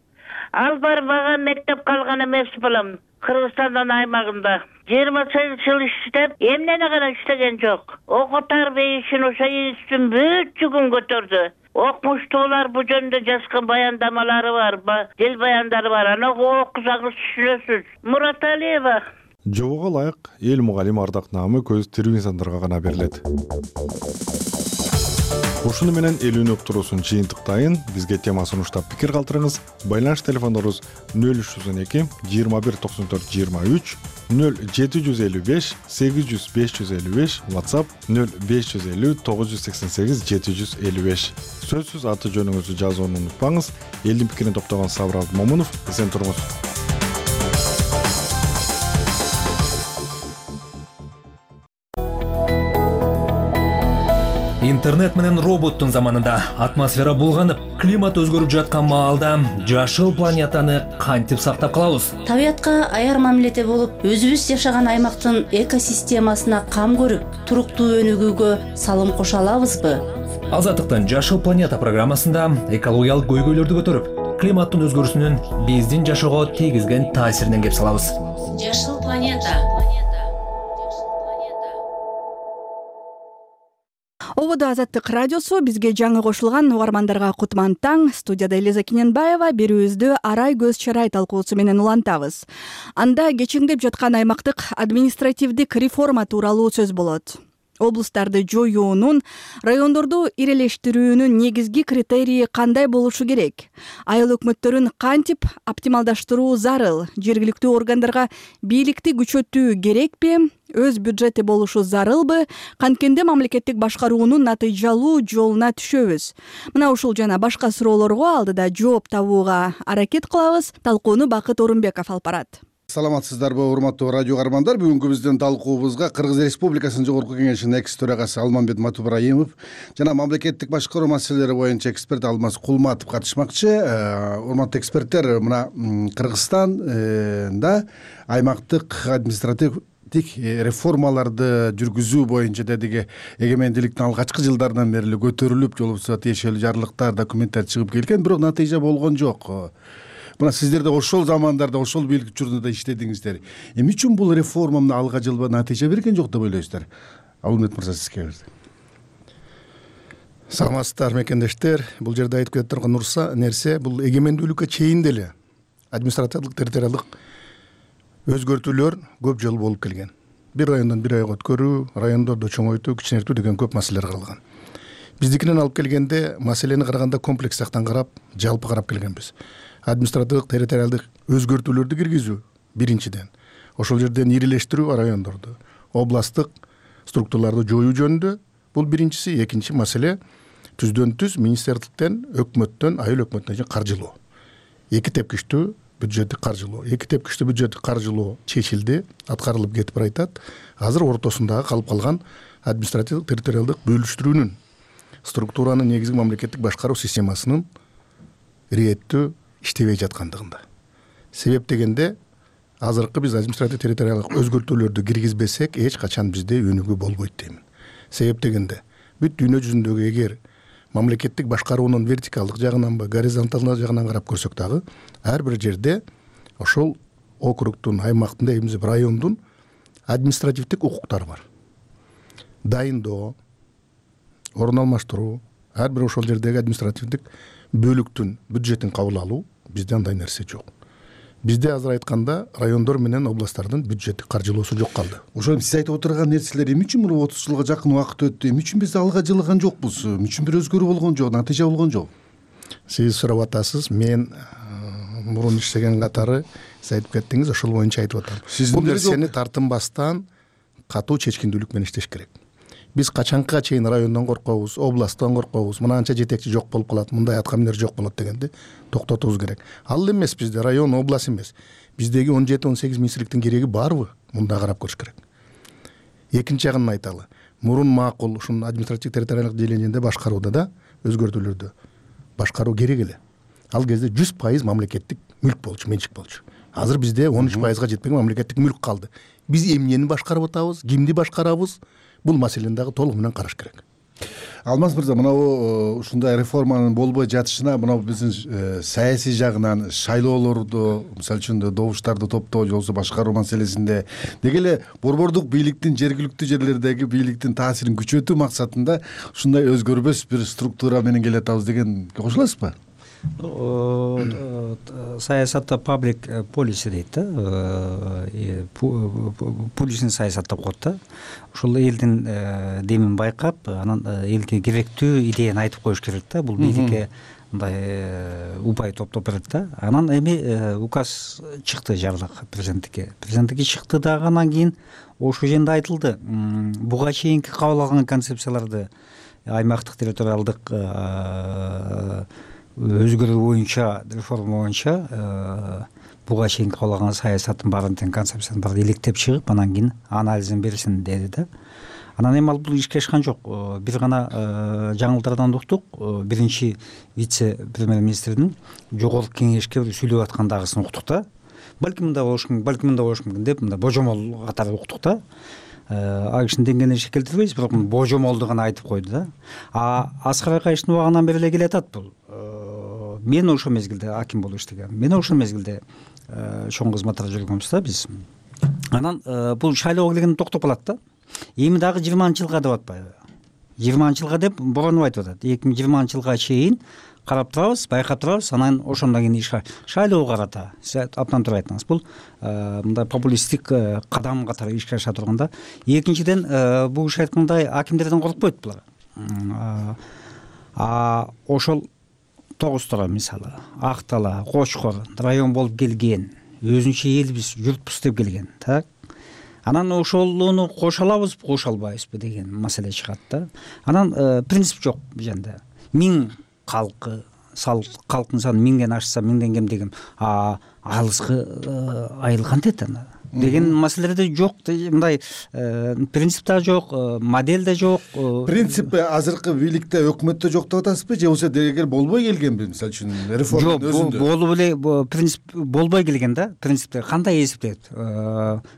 Ал барбаган мектеп калган эмес балам. Кыргызстандын аймагында 28 жыл иштеп, эмнени гана иштеген жок. Окуу тарбия ишин ошо институттун бүт жүгүн көтөрдү. Окумуштуулар бу жөнүндө жазган баяндамалары бар, дил баяндары бар. Аны окусаңыз түшүнөсүз. Мураталиева. Жобого ылайык эл мугалим ардак наамы көз тирүү инсандарга гана берилет. Ушуну менен элүүнү уктуруусун жыйынтыктайын. Бизге тема сунуштап пикир калтырыңыз. Байланыш телефондорубуз 0312 21 94 23, 0755 800 555, WhatsApp 0550 988 755. Сөзсүз аты жөнүңүздү жазууну унутпаңыз. Элдин пикирин топтогон Сабыр Момунов, эсен туруңуз. Интернет менен роботтун заманында атмосфера булганып, климат өзгөрүп жаткан маалда жашыл планетаны кантип сактап калабыз? Табиятка аяр мамиледе болуп, өзүбүз жашаган аймактын экосистемасына кам көрүп, туруктуу өнүгүүгө салым кошо алабызбы? Азаттыктын Жашыл планета программасында экологиялык көйгөйлөрдү көтөрүп, климаттын өзгөрүүсүнүн биздин жашоого тийгизген таасиринен кеп салабыз. Жашыл планета. Ободо Азаттык радиосу, бизге жаңы кошулган угармандарга кутман таң. Студияда Элиза Кененбаева. Берүүбүздү Арай көз чарай талкуусу менен улантабыз. Анда кечиңдеп жаткан аймактык административдик реформа тууралуу сөз болот. Облустарды жоюунун, райондорду ирелештирүүнүн негизги критерийи кандай болушу керек? Айыл өкмөттөрүн кантип оптималдаштыруу зарыл? Жергиликтүү органдарга бийликти күчөтүү керекпи? Өз бюджети болушу зарылбы? Канткенде мамлекеттик башкаруунун натыйжалуу жолуна түшөбүз. Мына ушул жана башка суроолорго алдыда жооп табууга аракет кылабыз. Талкууну Бакыт Орунбеков алып барат. Саламатсыздарбы, урматтуу радио каармандар. Бүгүнкү биздин талкуубузга Кыргыз Республикасынын Жогорку Кеңешинин экс төрагасы Алмамбет Матубраимов жана мамлекеттик башкаруу маселелери боюнча эксперт Алмаз Кулматов катышмакчы. Урматтуу эксперттер, мына Кыргызстанда аймактык административдик реформаларды жүргүзүү боюнча дедиги эгемендүүлүктүн алгачкы жылдарынан бери көтөрүлүп, жол болбосо тиешелүү жарлыктар, документтер чыгып келген, бирок натыйжа болгон жок. Мына сиздер да ошол замандарда, ошол бийлик учурунда иштедиңиздер. Эмне үчүн бул реформа алга жылба натыйжа берген жок деп ойлойсуздар? Алмамбет мырза, сизге берди. Саламатсыздар мекендештер. Бул жерде айтып кетип турган нерсе, бул эгемендүүлүккө чейин деле административдик территориалдык өзгөртүүлөр көп жыл болуп келген. Бир райондон бир районго өткөрүү, райондорду чоңойтуу, кичинейтүү деген көп маселелер каралган. Биздикинен алып келгенде маселени караганда комплекс жактан карап, жалпы карап келгенбиз. Административдик территориалдык өзгөртүүлөрдү киргизүү биринчиден, ошол жерден ирелештирүү райондорду, областтык структураларды жоюу жөнүндө бул биринчиси. Экинчи маселе түздөн түз министрликтен, өкмөттөн, айыл өкмөтүнө каржылоо. Эки тепкичтүү бюджеттик каржылоо. Эки тепкичтүү бюджеттик каржылоо чечилди, аткарылып кетип баратат. Азыр ортосундагы калып калган административдик территориалдык бөлүштүрүүнүн, структуранын негизги мамлекеттик башкаруу системасынын иреттүү иштебей жаткандыгында. Себеп дегенде, азыркы биз административдик территориалдык өзгөртүүлөрдү киргизбесек, эч качан бизде өнүгүү болбойт деймин. Себеп дегенде, бүт дүйнө жүзүндөгү эгер мамлекеттик башкаруунун вертикалдык жагынанбы, горизонталдык жагынан карап көрсөк дагы, ар бир жерде ошол округтун, аймактын, дейбиз, райондун административдик укуктары бар. Дайындоо, орун алмаштыруу, ар бир ошол жердеги административдик бөлүктүн бюджетин кабыл алуу, бизде андай нерсе жок. Бизде азыр айтканда райондор менен областтардын бюджеттик каржылоосу жок калды. Ошол сиз айтып отурган нерселер эмне үчүн мына 30 жылга жакын убакыт өттү? Эмне үчүн биз алга жылган жокпуз? Эмне үчүн бир өзгөрүү болгон жок, натыйжа болгон жок? Сиз сурап атасыз, мен мурун иштеген катары сиз айтып кеттиңиз, ошол боюнча айтып атам. Бул нерсени тартынбастан катуу чечкиндүүлүк менен иштеш керек. Биз качанга чейин райондон коркобуз, областтан коркобуз, мынанча жетекчи жок болуп калат, мындай аткаминер жок болот дегенди токтотубуз керек. Ал эмес бизде район, область эмес. Биздеги 17-18 министрликтин кереги барбы? Мында карап көрүш керек. Экинчи жагын айталы. Мурун макул ушун административдик территориалдык делегенде башкарууда да өзгөртүүлөрдү башкаруу керек эле. ал кезде 100% мамлекеттик мүлк болчу, менчик болчу. Азыр бизде 13%га жетпеген мамлекеттик мүлк калды. Биз эмнени башкарып атабыз, кимди башкарабыз? Бул маселени дагы толук менен караш керек. Алмаз мырза, мынау ушундай реформанын болбой жатышына мынау биздин саясий жагынан шайлоолорду, мисалы үчүн добуштарды топтоо же болбосо башкаруу маселесинде деги эле борбордук бийликтин жергиликтүү жерлердеги бийликтин таасирин күчөтүү максатында ушундай өзгөрбөс бир структура менен келатабыз дегенге кошуласызбы? Саясатта паблик полиси дейт да, публичный саясат деп коет да. Ушул элдин демин байкап, анан элге керектүү идеяны айтып коюш керек да. Бул бийликке мындай упай топтоп берет да. Анан эми указ чыкты жарлык президенттикке. Президенттикке чыкты дагы, анан кийин ошол жерде айтылды. Буга чейинки кабыл алган концепцияларды аймактык территориалдык өзгөрүү боюнча, реформа боюнча буга чейин кабыл алган саясаттын баарын тең концепциясын баарын иликтеп чыгып, анан кийин анализин берсин деди да. Анан эми ал бул ишке ашкан жок. Бир гана жаңылыктардан уктук. Биринчи вице премьер-министрдин жогорку кеңешке сүйлөп аткандагысын уктук да. Балким мындай болуш мүмкүн деп, мындай божомол катары уктук да. А кишинин деңгээлине келтирбейбиз, бирок божомолду гана айтып койду да. Аскар Акаевдин убагынан бери эле келатат бул. Мен ошол мезгилде аким болуп иштегем. Мен ошол мезгилде чоң кызматтарда жүргөнбүз да биз. Анан бул шайлоого келгенде токтоп калат да. Эми дагы 20-жылга деп атпайбы? 20-жылга деп боронуп айтып атат. 2020-жылга чейин карап турабыз, байкап турабыз, анан ошондон кийин шайлоого карата. Сиз абдан туура айттыңыз. Бул мындай популисттик кадам катары ишке аша турганда. Экинчиден, бул иш айткандай акимдерден коркпойт булар. Ошол Тогуз Тора мисалы, Ак Дала, Кочкор район болуп келген, өзүнчө элбиз, журтпуз деп келген, так? Анан ошолуну кошо алабызбы, кошо албайбызбы деген маселе чыгат да. Анан принцип жок бул жерде. 1000 калктын саны 1000ден ашса, 1000ден кем деген алыскы айыл кантет анда деген маселелерде жок. Мындай принцип да жок, модель да жок. Принцип азыркы бийликте, өкмөттө жок деп атасызбы, же болбосо дегер болбой келгенби, мисалы үчүн реформанын өзүндө? Жок, болуп эле принцип болбой келген да. Принципте кандай эсептейт?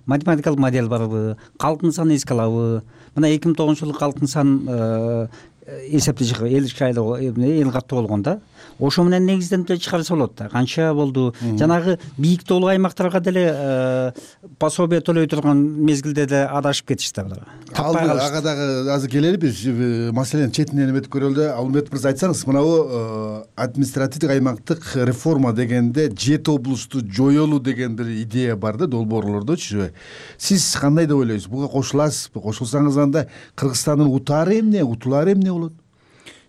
Математикалык модель барбы? Калктын санын эске алабы? Мына 2009-жылы калктын санын эсепти чыгып, эл шайлоо, эл каттуу болгон да. Ошо менен негизден чыгарса болот да. Канча болду? Жанагы бийик тоолуу аймактарга деле пособие төлөй турган мезгилде деле адашып кетишти булар. Ага дагы азыр келели биз маселени четинен эметип көрөлү да. Алмет мырза, айтсаңыз, мынабу административдик аймактык реформа дегенде 7 облусту жоёлуу деген бир идея бар да, долбоорлордочу. Сиз кандай деп ойлойсуз? Буга кошуласызбы? Кошулсаңыз анда Кыргызстандын утаары эмне, утулаары эмне болот?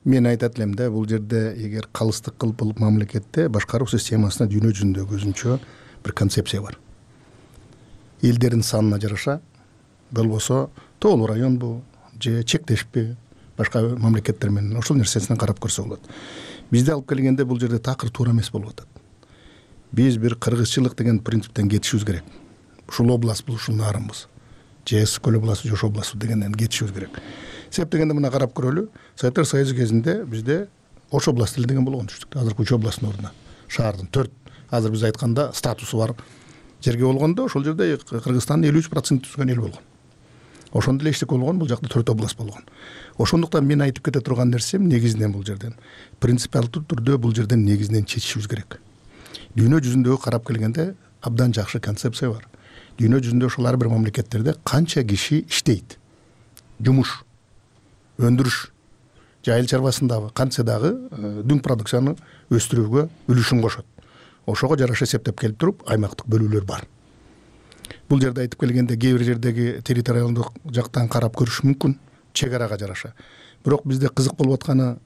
Мен айтат элем да, бул жерде эгер калыстык кылып болуп мамлекетте башкаруу системасына дүйнө жүзүндөгү өзүнчө бир концепция бар. Элдердин санына жараша, болбосо тоолуу районбу же чектешпи башка мамлекеттер менен ошол нерсесинен карап көрсө болот. Бизде алып келгенде бул жерде такыр туура эмес болуп атат. Биз бир кыргызчылык деген принциптен кетишибиз керек. Ушул областбы, ушул нарынбыз. Же Көл областы, же Жош областы дегенден кетишибиз керек. Себеп дегенде мына карап көрөлү. Советтер Союзу кезинде бизде Ош областы эле деген болгон түштүк. Азыр Үч областтын ордуна шаардын 4 азыр биз айтканда статусу бар жерге болгондо, ошол жерде Кыргызстандын 53% түзгөн эл болгон. Ошондо эле эчтеке болгон, бул жакта 4 област болгон. Ошондуктан мен айтып кете турган нерсем негизинен бул жерден принципиалдуу түрдө бул жерден негизинен чечишибиз керек. Дүйнө жүзүндөгү карап келгенде абдан жакшы концепция бар. Дүйнө жүзүндө ошол ар бир мамлекеттерде канча киши иштейт, жумуш, өндүрүш, айыл чарбасындагы кантсе дагы дүң продукцияны өстүрүүгө үлүшүн кошот. Ошого жараша эсептеп келип туруп аймактык бөлүүлөр бар. Бул жерде айтып келгенде кээ бир жердеги территориалдык жактан карап көрүш мүмкүн, чек арага жараша. Бирок бизде кызык болуп атканы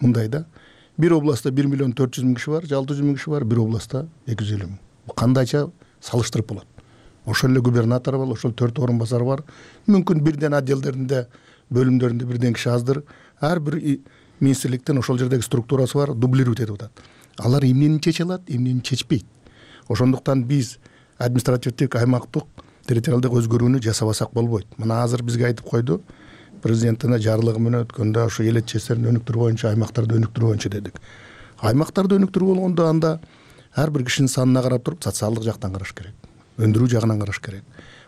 мындай да. Бир областта 1.400.000 киши бар, 600.000 киши бар, бир областта 250.000. Кандайча салыштырып болот? Ошол эле губернатор бар, ошол 4 орун басар бар. Мүмкүн бирден отделдеринде, бөлүмдөрүндө бирден киши аздыр. Ар бир министрликтен ошол жердеги структурасы бар, дублировать этип атат. Алар эмнени чече алат, эмнени чечпейт. Ошондуктан биз административдик аймактык территориалдык өзгөрүүнү жасабасак болбойт. Мына азыр бизге айтып койду, президенттин жарлыгы менен өткөндө ошо эл этчестерин өнүктүрүү боюнча, аймактарды өнүктүрүү боюнча дедик. аймактарды өнүктүрүү болгондо анда ар бир кишинин санына карап туруп социалдык жактан караш керек, өндүрүү жагынан караш керек,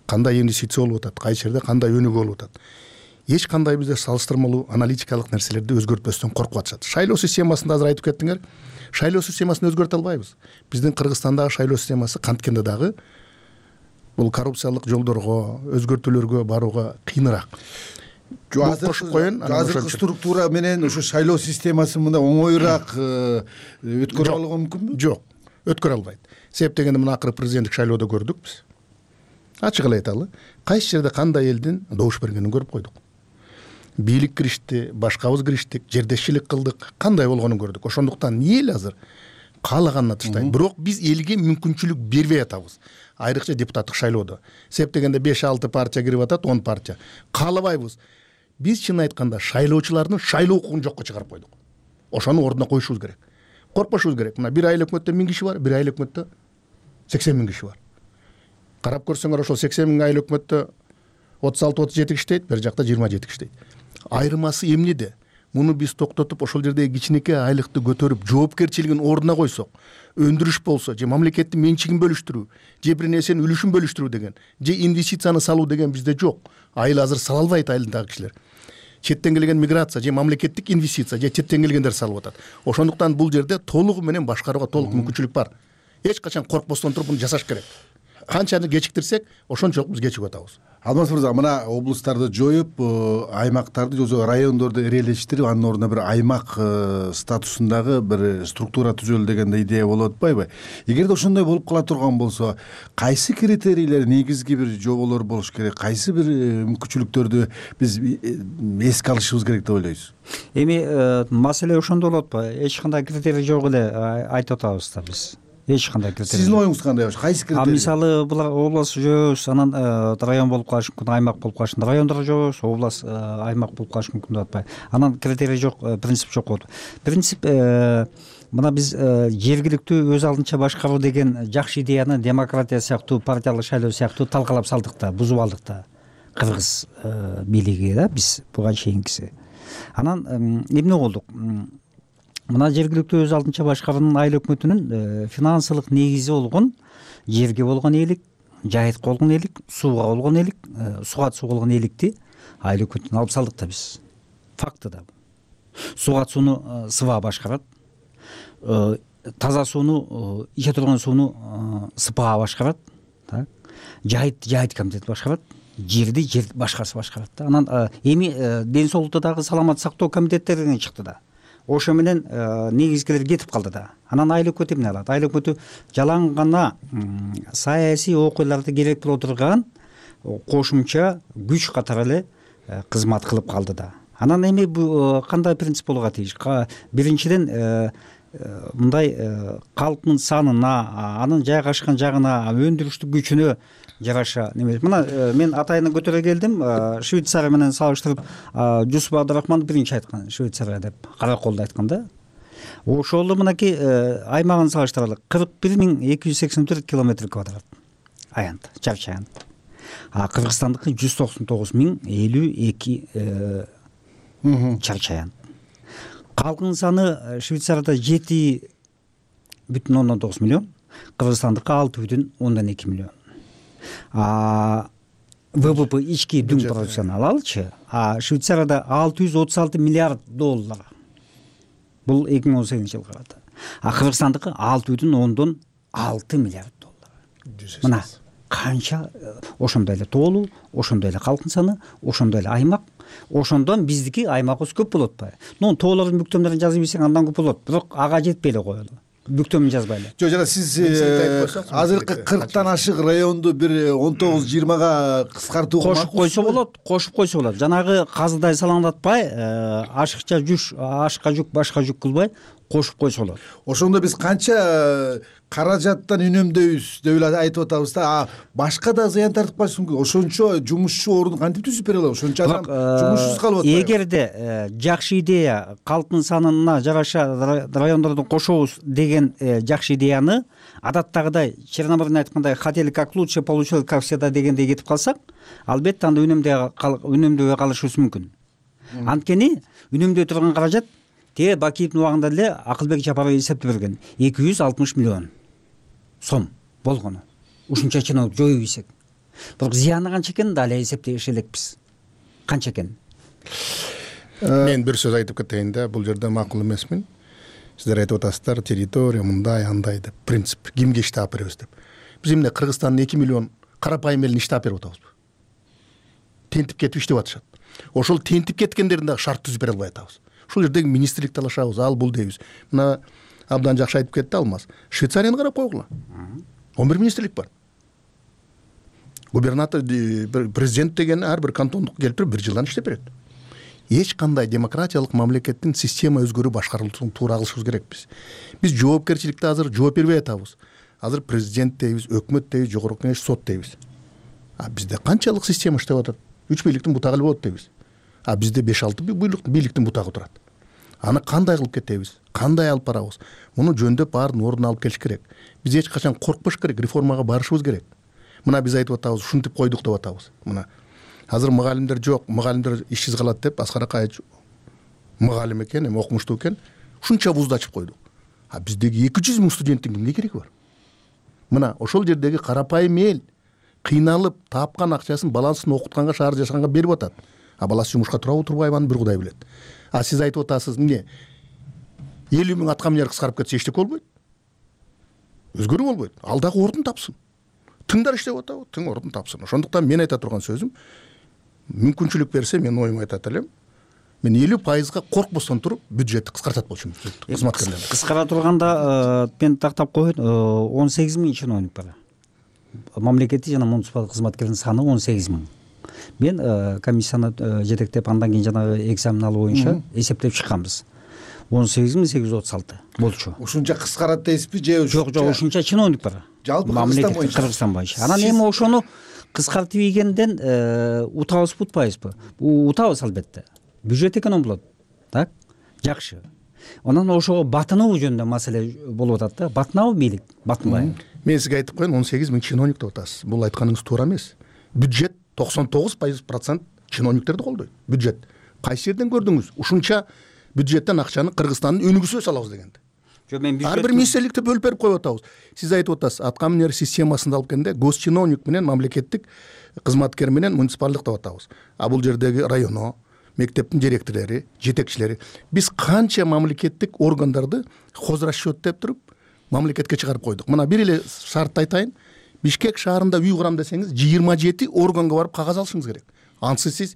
кандай инвестиция болуп атат, кайсы жерде кандай өнүгүү болуп атат. Эч кандай бизде салыштырмалуу аналитикалык нерселерди өзгөртпөстөн коркуп атышат. Шайлоо системасын да азыр айтып кеттиңер. Шайлоо системасын өзгөртө албайбыз. Биздин Кыргызстандагы шайлоо системасы канткенде дагы бул коррупциялык жолдорго, өзгөртүүлөргө барууга кыйыныраак. Кошуп коеюн. Азыркы структура менен ошо шайлоо системасын мындай оңоюраак өткөрө алууга мүмкүнбү? Жок, өткөрө албайт. Себеп дегенде мына акыркы президенттик шайлоодо көрдүк биз. Ачык эле айталы, кайсы жерде кандай элдин добуш бергенин көрүп койдук. Бийлик киришти, башкабыз кириштик, жердешчилик кылдык, кандай болгонун көрдүк. Ошондуктан эл азыр каалаганын атыштайт. Бирок биз элге мүмкүнчүлүк бербей атабыз. Айрыкча депутаттык шайлоодо. Себеп дегенде 5-6 партия кирип атат, 10 партия. Каалабайбыз. Биз чын айтканда шайлоочулардын шайлоо укугун жокко чыгарып койдук. Ошону ордуна коюшубуз керек. Коркпошубуз керек. Мына бир айыл өкмөттө 1000 киши бар, бир айыл өкмөттө 80 000 киши бар. Карап көрсөңөр ошол 80 000 айыл өкмөттө 36-37 иштейт, бер жакта 27 иштейт. Айырмасы эмнеде? Муну биз токтотуп, ошол жердеги кичинекей айлыкты көтөрүп, жоопкерчилигин ордуна койсок, өндүрүш болсо, же мамлекеттин менчигин бөлүштүрүү, же бир нерсенин үлүшүн бөлүштүрүү деген, же инвестицияны салуу деген бизде жок. Айыл азыр сала албайт, айылдагы кишилер. Четтен келген миграция же мамлекеттик инвестиция же четтен келгендер салып атат. Ошондуктан бул жерде толугу менен башкарууга толук мүмкүнчүлүк бар. Эч качан коркпостон туруп муну жасаш керек. Канчаны кечиктирсек, ошончолук биз кечигип атабыз. Алмаз мырза, мына облустарды жоюп, аймактарды же райондорду эрелештирип, анын ордуна бир аймак статусундагы бир структура түзөлө деген идея болуп атпайбы? Эгерде ошондой болуп кала турган болсо, кайсы критерийлер, негизги бир жоболор болуш керек, кайсы бир мүмкүнчүлүктөрдү биз эске алышыбыз керек деп ойлойсуз? Эми маселе ошондо болот го. Эч кандай критерий жок эле айтып атабыз да биз. Эч кандай критерий. Сиздин оюңуз кандай? Кайсы критерий? Мисалы, булар область жоебуз, анан район болуп калышы мүмкүн, аймак болуп калышы мүмкүн. Райондор жоебуз, область, аймак болуп калышы мүмкүн деп атпайбы. Анан критерий жок, принцип жок болот. Принцип мына биз жергиликтүү өз алдынча башкаруу деген жакшы идеяны демократия сыяктуу, партиялык шайлоо сыяктуу талкалап салдык да, бузуп алдык да. Кыргыз бийлиги да, биз буга чейинкиси. Анан эмне болдук? Мына жергиликтүү өз алдынча башкаруунун айыл өкмөтүнүн финансылык негизи болгон жерге болгон ээлик, жайытка болгон ээлик, сууга болгон ээлик, суга суу болгон ээликти айыл өкмөтүнө алып салдык да биз. Факты да. Суга сууну СВА башкарат. Таза сууну, иче турган сууну СПА башкарат. Так. Жайыт комитети башкарат. Жерди жер башкарасы башкарат да. Анан эми ден соолукту дагы саламат сактоо комитеттеринен чыкты да. Ошо менен негизгилер кетип калды да. Анан айыл өкмөтү эмне алат? Айыл өкмөтү жалаң гана саясий окуяларды керек боло турган кошумча күч катары эле кызмат кылып калды да. Анан эми кандай принцип болууга тийиш? Биринчиден мындай калктын санына, анын жайгашкан жагына, өндүрүштүк күчүнө жараша неме. Мына мен атайын көтөрө келдим, Швейцария менен салыштырып, Жусуп Абдрахман биринчи айткан, Швейцария деп, Караколду айткан да. Ошол мынакей аймагын салыштыралы, 41.284 километр квадрат. Аянт, чарчы аянт. Кыргызстандыкы 199.052 чарчы аянт. Калкынын саны Швейцарияда 7,9 миллион, Кыргызстандыкы 6,2 миллион. ВВП ички дүң продукцияны алалычы, Швейцарияда 636 миллиард доллар. Бул 2018-жылы карата. Кыргызстандыкы 6,6 миллиард доллар. Мына канча ошондой эле тоолуу, ошондой эле калкын саны, ошондой эле аймак. Ошондон биздики аймагыбыз көп болот атпайбы? Тоолордун бүктөмдөрүн жазып ийсең андан көп болот. Бирок ага жетпей эле коелу. Бүктөмүн жазбайлы. Жок, жана сиз азыркы 40тан ашык районду бир 19-20га кыскартууга кошуп койсо болот. Жанагы казыдай салаңдатпай, ашыкча жүк, ашка жүк, башка жүк кылбай кошуп койсо болот. Ошондо биз канча каражаттан үнөмдөйбүз деп эле айтып атабыз да. Башка да зыян тартып калышы мүмкүн. Ошончо жумушчу ордун кантип түзүп бере алабыз? Ошончо адам жумушсуз калып атпайбы? Эгерде жакшы идея, калктын санына жараша райондорду кошобуз деген жакшы идеяны адаттагыдай Черномырдын айткандай хотели как лучше, получилось как всегда дегендей кетип калсак, албетте анда үнөмдөбөй калышыбыз мүмкүн. Анткени үнөмдөй турган каражат тээ Бакиевдин убагында деле Акылбек Жапаров эсептеп берген 260 миллион сом болгону. Ушунча чиновник жоюп ийсек. Бирок зыяны канча экенин да эле эсептеш элекпиз. Канча экенин. Мен бир сөз айтып кетейин да, бул жерде макул эмесмин. Сиздер айтып атасыздар, территория мындай андай деп, принцип, кимге иштеп беребиз деп. Биз эмне Кыргызстандын 2 миллион карапайым элин иштеп берип атабызбы? Тентип кетип иштеп атышат. Ошол тентип кеткендерин дагы шарт түзүп бере албай атабыз. Ушул жердеги министрлик талашабыз, ал бул дейбиз. Мына абдан жакшы айтып кетти Алмаз. Швейцарияны карап койгула. 11 министрлик бар. Губернатор, президент деген ар бир кантондук келип туруп 1 жылдан иштеп берет. Эч кандай демократиялык мамлекеттин система өзгөрүү башкарылышын туура кылышыбыз керекпиз. Биз жоопкерчиликте азыр жооп бербей атабыз. Азыр президент дейбиз, өкмөт дейбиз, жогорку кеңеш, сот дейбиз. Бизде канчалык система иштеп атат? 3 бийликтин бутагы эле болот дейбиз. Бизде 5-6 бийликтин бутагы турат. Аны кандай кылып кетебиз? Кандай алып барабыз? Муну жөндөп баарын ордуна алып келиш керек. Биз эч качан коркпош керек, реформага барышыбыз керек. Мына биз айтып атабыз, ушинтип койдук деп атабыз. Мына азыр мугалимдер жок, мугалимдер ишсиз калат деп Аскар Акаевич мугалим экен, эми окумуштуу экен, ушунча вузду ачып койдук. Биздеги 200 миң студенттин эмне кереги бар? Мына ошол жердеги карапайым эл кыйналып, тапкан акчасын баласын окутканга, шаар жашаганга берип атат. Баласы жумушка турабы, турбайбы, аны бир Кудай билет. Сиз айтып атасыз, эмне 50 миң аткаминер кыскарып кетсе эчтеке болбойт. Өзгөрүү болбойт. Ал дагы ордун тапсын. Тыңдар иштеп атабы, тың ордун тапсын. Ошондуктан мен айта турган сөзүм, мүмкүнчүлүк берсе мен оюмду айтат элем. Мен 50%га коркпостон туруп бюджетти кыскартат болчумун, кызматкерлерди. Кыскара турганда мен тактап коеюн, 18 миң чиновник бар. Мамлекеттик жана муниципалдык кызматкердин саны 18 миң. Мен комиссияны жетектеп, андан кийин жанагы экзамен алуу боюнча эсептеп чыкканбыз. 18.836 болчу. Ушунча кыскарат дейсизби же? Жок, ушунча чиновник бар. Жалпы Кыргызстан боюнча. Анан эми ошону кыскартып ийгенден утабызбы, утпайбызбы? Утабыз албетте. Бюджет эконом болот. Так? Жакшы. Анан ошого батынуу жөнүндө маселе болуп атат да. Батынабы бийлик? Батынбайбы? Мен сизге айтып коеюн, 18 миң чиновник деп атасыз. Бул айтканыңыз туура эмес. Бюджет 99% чиновниктерди колдойт. Бюджет. Кайсы жерден көрдүңүз? Ушунча бюджеттен акчаны Кыргызстандын өнүгүүсүнө салабыз дегенди. Ар бир министрликти бөлүп берип коюп атабыз. Сиз айтып атасыз, аткаминер системасында алып келгенде госчиновник менен мамлекеттик кызматкер менен муниципалдык деп атабыз. Бул жердеги районо, мектептин директорлори, жетекчилери, биз канча мамлекеттик органдарды хозрасчет деп туруп мамлекетке чыгарып койдук. Мына бир эле шартты айтайын. Бишкек шаарында үй курам десеңиз, 27 органга барып кагаз алышыңыз керек. Ансыз сиз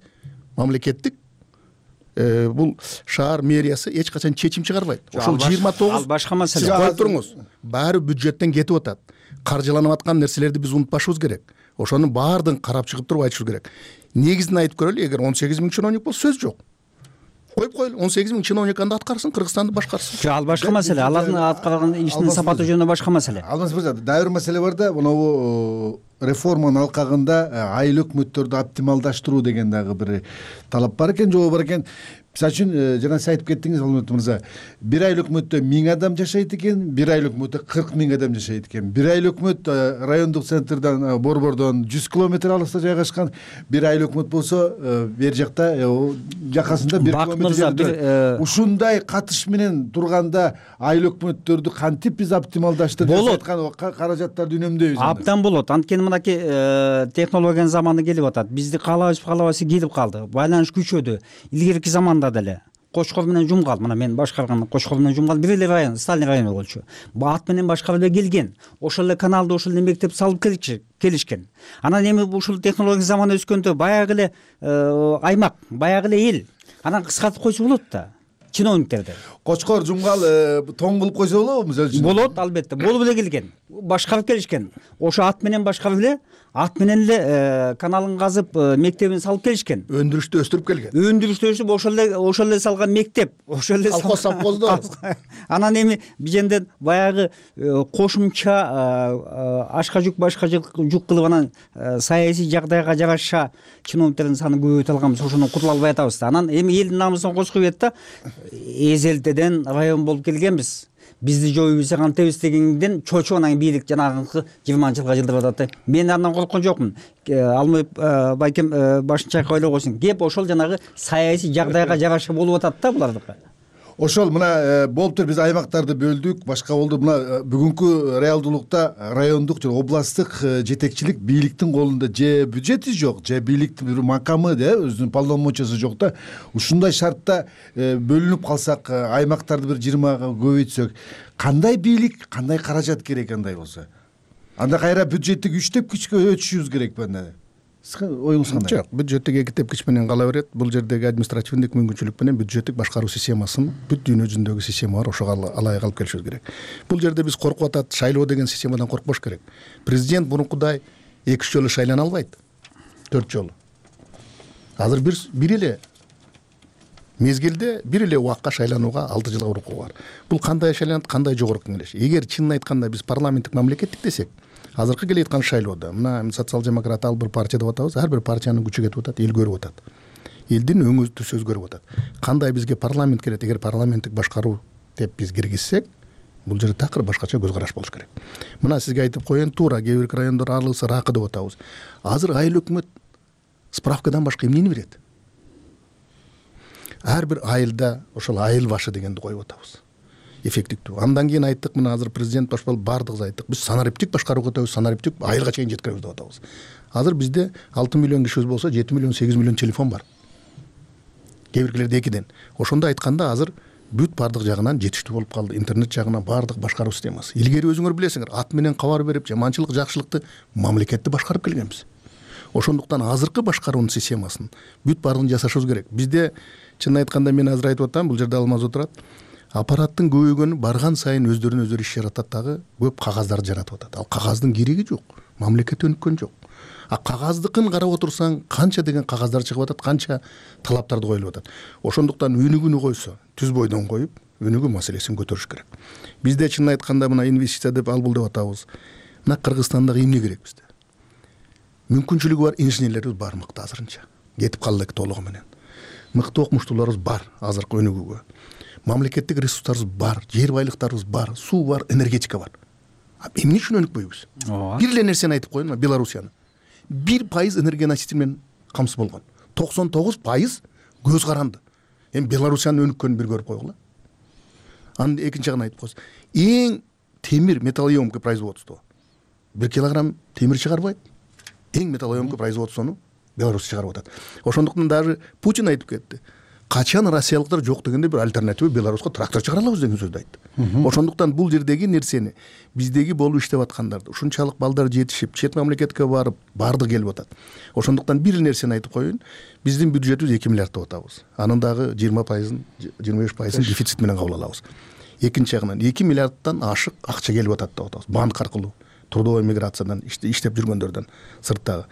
мамлекеттик бул шаар мэриясы эч качан чечим чыгарбайт. Ошол 29 башка маселе. Сиз коюп туруңуз. Баары бюджеттен кетип атат. Каржыланып аткан нерселерди биз унутпашыбыз керек. Ошонун баардыгын карап чыгып туруп айтышыбыз керек. Негизин айтып көрөлү, эгер 18 миң чиновник болсо сөз жок. Коюп коелу, 18 миң чиновник анда аткарсын, Кыргызстанды башкарсын. Жок, ал башка маселе. Алардын аткарган ишинин сапаты жөнүндө башка маселе. Алмаз мырза, дагы бир маселе бар да, мынабу реформанын алкагында айыл өкмөттөрдү оптималдаштыруу деген дагы бир талап бар экен, жобо бар экен. Мисалы үчүн жана сиз айтып кеттиңиз, Алмаз мырза, бир айыл өкмөттө 1000 адам жашайт экен, бир айыл өкмөттө 40 000 адам жашайт экен. Бир айыл өкмөт райондук центрден, Борбордон 100 километр алыста жайгашкан, бир айыл өкмөт болсо бер жакта жакасында 1 километр жерде. Ушундай катыш менен турганда айыл өкмөттөрдү кантип биз оптималдаштырып жаткан каражаттарды үнөмдөйбүз? Абдан болот. Анткени мынакей технологиянын заманы келип атат. Бизди каалабайбыз келип калды. Байланыш күчөдү. Илгерки заманда деле Кочкор менен Жумгал, мына мен башкарган Кочкор менен Жумгал бир эле район, Сталин району болчу. Ат менен башкарып эле келген. Ошол эле каналды, ошол эле мектеп салып келишкен. Анан эми ушул технология заманы өскөндө баягы эле аймак, баягы эле эл. Анан кыскартып койсо болот да. Чиновниктерди. Кочкор, Жумгал тоң кылып койсо болобу мисалы үчүн? Болот, албетте. Болуп эле келген. Башкарып келишкен. Ошо ат менен башкарып эле, ат менен эле каналын казып, мектебин салып келишкен. Өндүрүштү өстүрүп келген. Өндүрүштү өстүрүп ошол эле салган мектеп, ошол эле колхоз совхоздо. Анан эми биженден баягы кошумча ашка жүк, башка жүк кылып анан саясий жагдайга жараша чиновниктердин санын көбөйтө алганбыз, ошондон кутула албай атабыз да. Анан эми элдин намысын козгой берет да. Эзелтеден район болуп келгенбиз. Бизди жоюбуз кантебиз дегенден чочуп анан бийлик жанагы 20-жылга жылдырып атат. Мен андан корккон жокмун. Алмай байкем башын чайкап ойлой койсун. Кеп ошол жанагы саясий жагдайга жараша болуп атат да булардыкы. ошол мына болуптур, биз аймактарды бөлдүк, башка болду. Мына бүгүнкү реалдуулукта райондук же областтык жетекчилик бийликтин колунда же бюджети жок, же бийликтин бир макамы өзүнүн полномочиясы жок да. Ушундай шартта бөлүнүп калсак, аймактарды бир 20-га көбөйтсөк, кандай бийлик, кандай каражат керек андай болсо? Анда кайра бюджеттик 3 тепкичке өтүшүбүз керекпи анда? Оюңуз кандай? Жок, бюджеттик 2 тепкич менен кала берет. Бул жердеги административдик мүмкүнчүлүк менен бюджеттик башкаруу системасын бүт дүйнө жүзүндөгү система бар, ошого алайык алып келишибиз керек. Бул жерде биз коркуп атат, шайлоо деген системадан коркпош керек. Президент мурункудай 2-3 жолу шайлана албайт. 4 жолу. Азыр бир эле мезгилде, бир эле убакка шайланууга 6 жылга урукку бар. Бул кандай шайланат, кандай жогорку кеңеш? Эгер чынын айтканда биз парламенттик мамлекеттик десек, азыркы келе жаткан шайлоодо мына социал-демократ ал бир партия деп атабыз, ар бир партиянын күчү кетип атат, эл көрүп атат. Элдин өңү түсү өзгөрүп атат. Кандай бизге парламент керек? Эгер парламенттик башкаруу деп биз киргизсек, бул жерде такыр башкача көз караш болуш керек. Мына сизге айтып коеюн, туура кээ бир райондор аралыкса ракы деп атабыз. Азыр айыл өкмөт справкадан башка эмнени берет? Ар бир айылда ошол айыл башы дегенди коюп атабыз. Эффективдүү. Андан кийин айттык, мына азыр президент башкалып бардыгыбыз айттык. Биз санариптик башкарууга өтөбүз, санариптик айылга чейин жеткиребиз деп атабыз. Азыр бизде 6 миллион кишибиз болсо, 7 миллион, 8 миллион телефон бар. Кээ биркилерде 2ден. Ошондо айтканда азыр бүт бардык жагынан жетиштүү болуп калды. Интернет жагынан бардык башкаруу системасы. Илгери өзүңөр билесиңер, ат менен кабар берип, жаманчылык, жакшылыкты мамлекетти башкарып келгенбиз. Ошондуктан азыркы башкаруунун системасын бүт баардыгын жасашыбыз керек. Бизде чынын айтканда мен азыр айтып атам, бул жерде Алмаз отурат. Аппараттын көбөйгөнү барган сайын өздөрүнө өздөрү иш жаратат дагы, көп кагаздарды жаратып атат. Ал кагаздын кереги жок. Мамлекет өнүккөн жок. А кагаздыкын карап отурсаң, канча деген кагаздар чыгып атат, канча талаптарды коюлуп атат. Ошондуктан өнүгүүнү койсо, түз бойдон коюп, өнүгүү маселесин көтөрүш керек. Бизде чынын айтканда мына инвестиция деп ал бул деп атабыз. Мына Кыргызстандагы эмне керек бизде? Мүмкүнчүлүгү бар инженерлерибиз бар мыкты азырынча. Кетип калды элек толугу менен. Мыкты окумуштууларыбыз бар азыркы өнүгүүгө. Мамлекеттик ресурстарыбыз бар, жер байлыктарыбыз бар, суу бар, энергетика бар. Эмне үчүн өнүкпөйбүз? Бир эле нерсени айтып коеюн, Белоруссияны. 1% энергоноситель менен камсыз болгон. 99% көз каранды. Эми Белоруссиянын өнүккөнүн бир көрүп койгула. Анын экинчи жагын айтып коесуз. Эң темир металлоемкий производство. 1 килограмм темир чыгарбайт. Эң металлоемкий производствону Беларусь чыгарып атат. Ошондуктан даже Путин айтып кетти. Качан россиялыктар жок дегенде бир альтернатива Беларуска трактор чыгара алабыз деген сөздү айтты. Ошондуктан бул жердеги нерсени биздеги болуп иштеп аткандарды, ушунчалык балдар жетишип, чет мамлекетке барып, бардык келип атат. Ошондуктан бир нерсени айтып коеюн, биздин бюджетибиз 2 миллиард деп атабыз. Анын дагы 20%, 25% дефицит менен кабыл алабыз. Экинчи жагынан 2 миллиарддан ашык акча келип атат деп атабыз. Банк аркылуу, трудовой миграциядан иштеп жүргөндөрдөн сырттагы.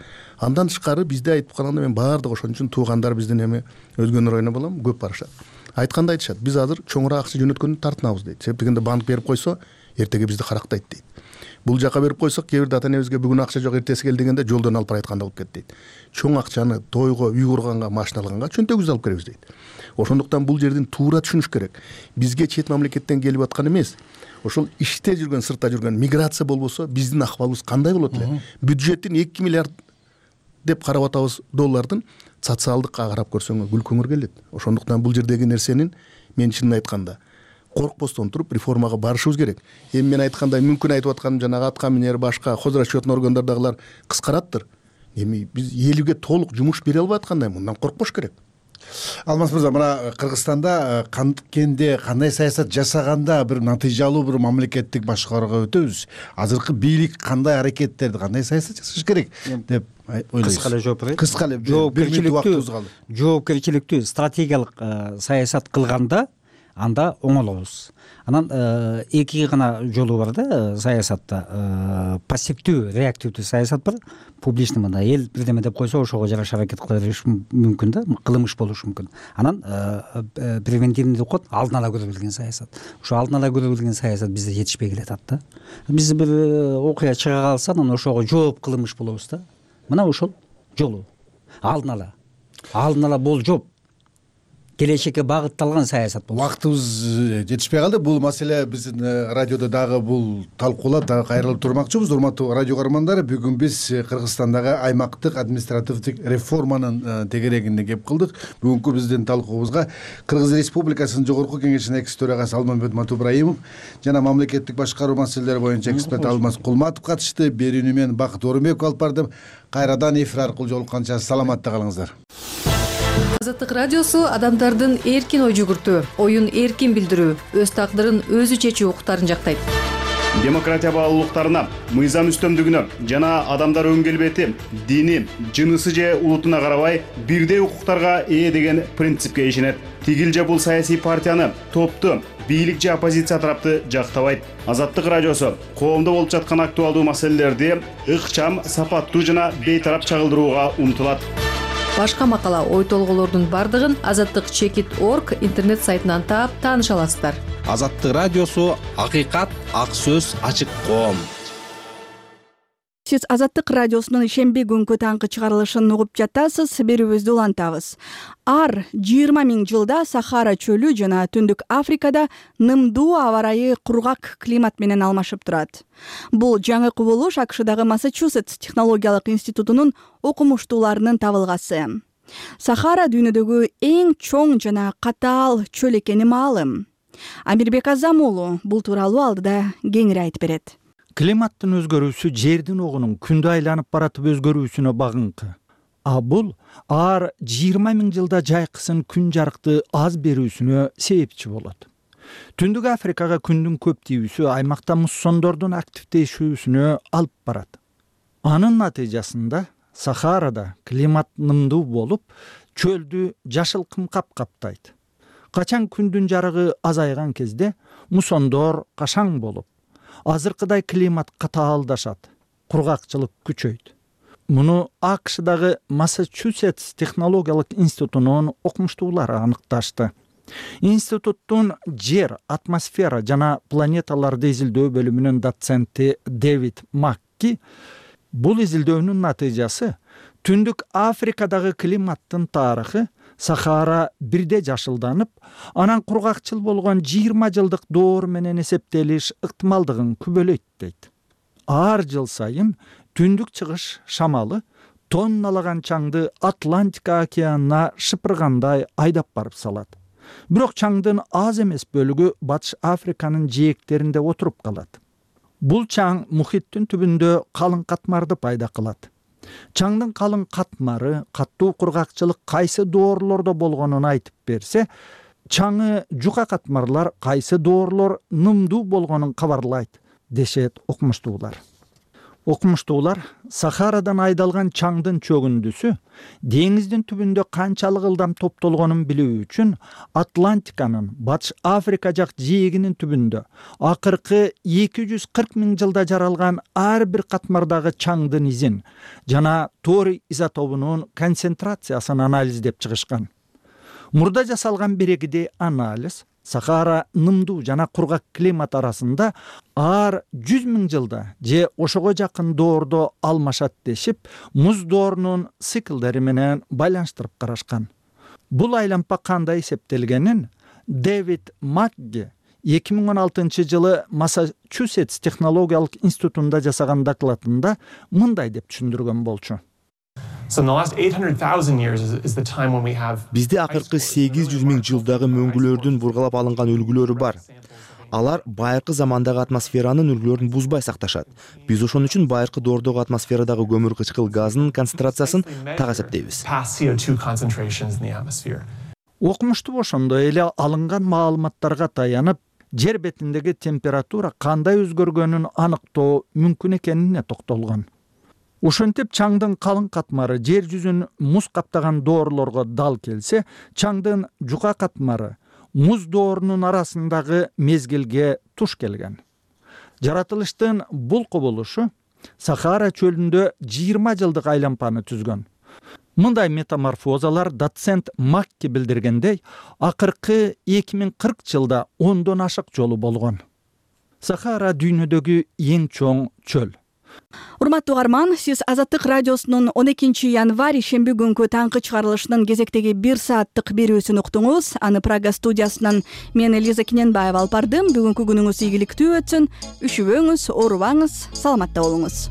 Андан тышкары бизде айтып калганда мен баардык ошон үчүн туугандар биздин эми өзгөнүн районуна балам көп барышат. Айтканда айтышат, биз азыр чоңураак акча жөнөткөндү тартынабыз дейт. Себеп дегенде банк берип койсо, эртеге бизди карактайт дейт. Бул жака берип койсок, кээ бир ата энебизге бүгүн акча жок, эртеси кел дегенде жолдон алып барайтканда болуп кетти дейт. Чоң акчаны тойго, үй курганга, машина алганга чөнтөгүбүздү алып келебиз дейт. Ошондуктан бул жердин туура түшүнүш керек. Бизге чет мамлекеттен келип аткан эмес, ошол иште жүргөн, сыртта жүргөн миграция болбосо биздин акыбалыбыз кандай болот эле? Бюджеттин 2 миллиард деп карап атабыз доллардын социалдыкка карап көрсөңөр күлкүңөр келет. Ошондуктан бул жердеги нерсенин мен чынын айтканда коркпостон туруп реформага барышыбыз керек. Эми мен айткандай мүмкүн айтып атканым жанагы атка минер башка хозрасчетный органдардагылар кыскараттыр. Эми биз элге толук жумуш бере албай аткандай мындан коркпош керек. Алмаз мырза, мына Кыргызстанда канткенде кандай саясат жасаганда бир натыйжалуу бир мамлекеттик башкарууга өтөбүз. Азыркы бийлик кандай аракеттерди, кандай саясат жасаш керек деп ойлойсуз? Кыска эле жооп берейин. Кыска эле жоопкерчиликтүү стратегиялык саясат кылганда анда оңолобуз. Анан эки гана жолу бар да саясатта. Пассивдүү, реактивдүү саясат бар. Публичный мына эл бирдеме деп койсо ошого жараша аракет кыла бериш мүмкүн да, кылмыш болушу мүмкүн. Анан превентивный деп коет, алдын ала көрө билген саясат. Ошо алдын ала көрө билген саясат бизде жетишпей келатат да. Биз бир окуя чыга калса, анан ошого жооп кылмыш болобуз да. Мына ошол жолу. Алдын ала болжоп келечекке багытталган саясат болот. Убактыбыз жетишпей калды. Бул маселе биздин радиодо дагы бул талкуулап дагы кайрылып турмакчыбыз. Урматтуу радио көрөрмандар, бүгүн биз Кыргызстандагы аймактык административдик реформанын тегерегинде кеп кылдык. Бүгүнкү биздин талкуубузга Кыргыз Республикасынын Жогорку Кеңешинин экс төрагасы Алмамбет Матубраимов жана мамлекеттик башкаруу маселелери боюнча эксперт Алмаз Кулматов катышты. Берүүнү мен Бакыт Орунбеков алып бардым. Кайрадан эфир аркылуу жолукканча саламатта калыңыздар. Азаттык радиосу адамдардын эркин ой жүгүртүү, оюн эркин билдирүү, өз тагдырын өзү чечүү укуктарын жактайт. Демократия баалуулуктарына, мыйзам үстөмдүгүнө жана адамдар өң келбети, дини, жынысы же улутуна карабай бирдей укуктарга ээ деген принципке ишенет. Тигил же бул саясий партияны, топту, бийлик же оппозиция тарапты жактабайт. Азаттык радиосу коомдо болуп жаткан актуалдуу маселелерди ыкчам, сапаттуу жана бейтарап чагылдырууга умтулат. Башка макала, ой толголордун бардыгын азаттык.org интернет сайтынан таап тааныша аласыздар. Азаттык радиосу акыйкат, ак сөз, ачык коом. Сиз Азаттык радиосунун шемби күнкү таңкы чыгарылышын угуп жатасыз. Берүүбүздү улантабыз. Ар 20 000 жылда Сахара чөлү жана Түндүк Африкада нымдуу аба ырайы кургак климат менен алмашып турат. Бул жаңы кубулуш АКШдагы Массачусетс технологиялык институтунун окумуштууларынын табылгасы. Сахара дүйнөдөгү эң чоң жана катаал чөл экени маалым. Амирбек Азам уулу бул тууралуу алдыда кеңири айтып берет. Климаттын өзгөрүүсү жердин огунун күндө айланып баратып өзгөрүүсүнө багынкы. Бул ар 20 000 жылда жайкысын күн жарыкты аз берүүсүнө себепчи болот. Түндүк Африкага күндүн көп тийүүсү аймакта муссондордун активдешүүсүнө алып барат. Анын натыйжасында Сахарада климат нымдуу болуп, чөлдү жашыл кымкап каптайт. Качан күндүн жарыгы азайган кезде муссондор кашаң болуп, азыркыдай климат катаалдашат, кургакчылык күчөйт. Муну АКШдагы Массачусетс технологиялык институтунун окумуштуулары аныкташты. Институттун жер, атмосфера жана планеталарды изилдөө бөлүмүнүн доценти Дэвид Макки бул изилдөөнүн натыйжасы Түндүк Африкадагы климаттын тарыхы Сахара бирде жашылданып, анан кургакчыл болгон 20 жылдык доор менен эсептелиш ыктымалдыгын күбөлөйт дейт. Ар жыл сайын түндүк чыгыш шамалы тонналаган чаңды Атлантика океанына шыпыргандай айдап барып салат. Бирок чаңдын аз эмес бөлүгү Батыш Африканын жээктеринде отуруп калат. Бул чаң мухиттин түбүндө калың катмарды пайда кылат. Чаңдын калың катмары каттуу кургакчылык кайсы доорлордо болгонун айтып берсе, чаңы жука катмарлар кайсы доорлор нымдуу болгонун кабарлайт, дешет окумуштуулар. Окумуштуулар Сахарадан айдалган чаңдын чөгүндүсү деңиздин түбүндө канчалык ылдам топтолгонун билүү үчүн Атлантиканын Батыш Африка жак жээгинин түбүндө акыркы 240 000 жылда жаралган ар бир катмардагы чаңдын изин жана торий изотопунун концентрациясын анализдеп чыгышкан. Мурда жасалган бирегидей анализ Сахара нымдуу жана кургак климат арасында ар 100 000 жылда же ошого жакын доордо алмашат дешип, муз доорунун циклдери менен байланыштырып карашкан. Бул айлампа кандай эсептелгенин Дэвид Макги 2016 жылы Массачусетс технологиялык институтунда жасаган докладында мындай деп түшүндүргөн болчу. Бизде акыркы 800 000 жылдагы мөңгүлөрдүн бургалап алынган үлгүлөрү бар. Алар байыркы замандагы атмосферанын үлгүлөрүн бузбай сакташат. Биз ошон үчүн байыркы доордогу атмосферадагы көмүр кычкыл газынын концентрациясын так эсептейбиз. Окумуштуу ошондой эле алынган маалыматтарга таянып, жер бетиндеги температура кандай өзгөргөнүн аныктоо мүмкүн экенине токтолгон. Ошентип чаңдын калың катмары жер жүзүн муз каптаган доорлорго дал келсе, чаңдын жука катмары муз доорунун арасындагы мезгилге туш келген. Жаратылыштын бул кубулушу Сахара чөлүндө 20 жылдык айлампаны түзгөн. Мындай метаморфозалар доцент Макки билдиргендей, акыркы 2040 жылда 10дон ашык жолу болгон. Сахара дүйнөдөгү эң чоң чөл. урматтуу угарман, сиз Азаттык радиосунун 12 январь ишемби күнкү таңкы чыгарылышынын кезектеги 1 сааттык берүүсүн уктуңуз. Аны Прага студиясынан мен Элиза Кененбаева алып бардым. Бүгүнкү күнүңүз ийгиликтүү өтсүн. Үшүбөңүз, оорубаңыз, саламатта болуңуз.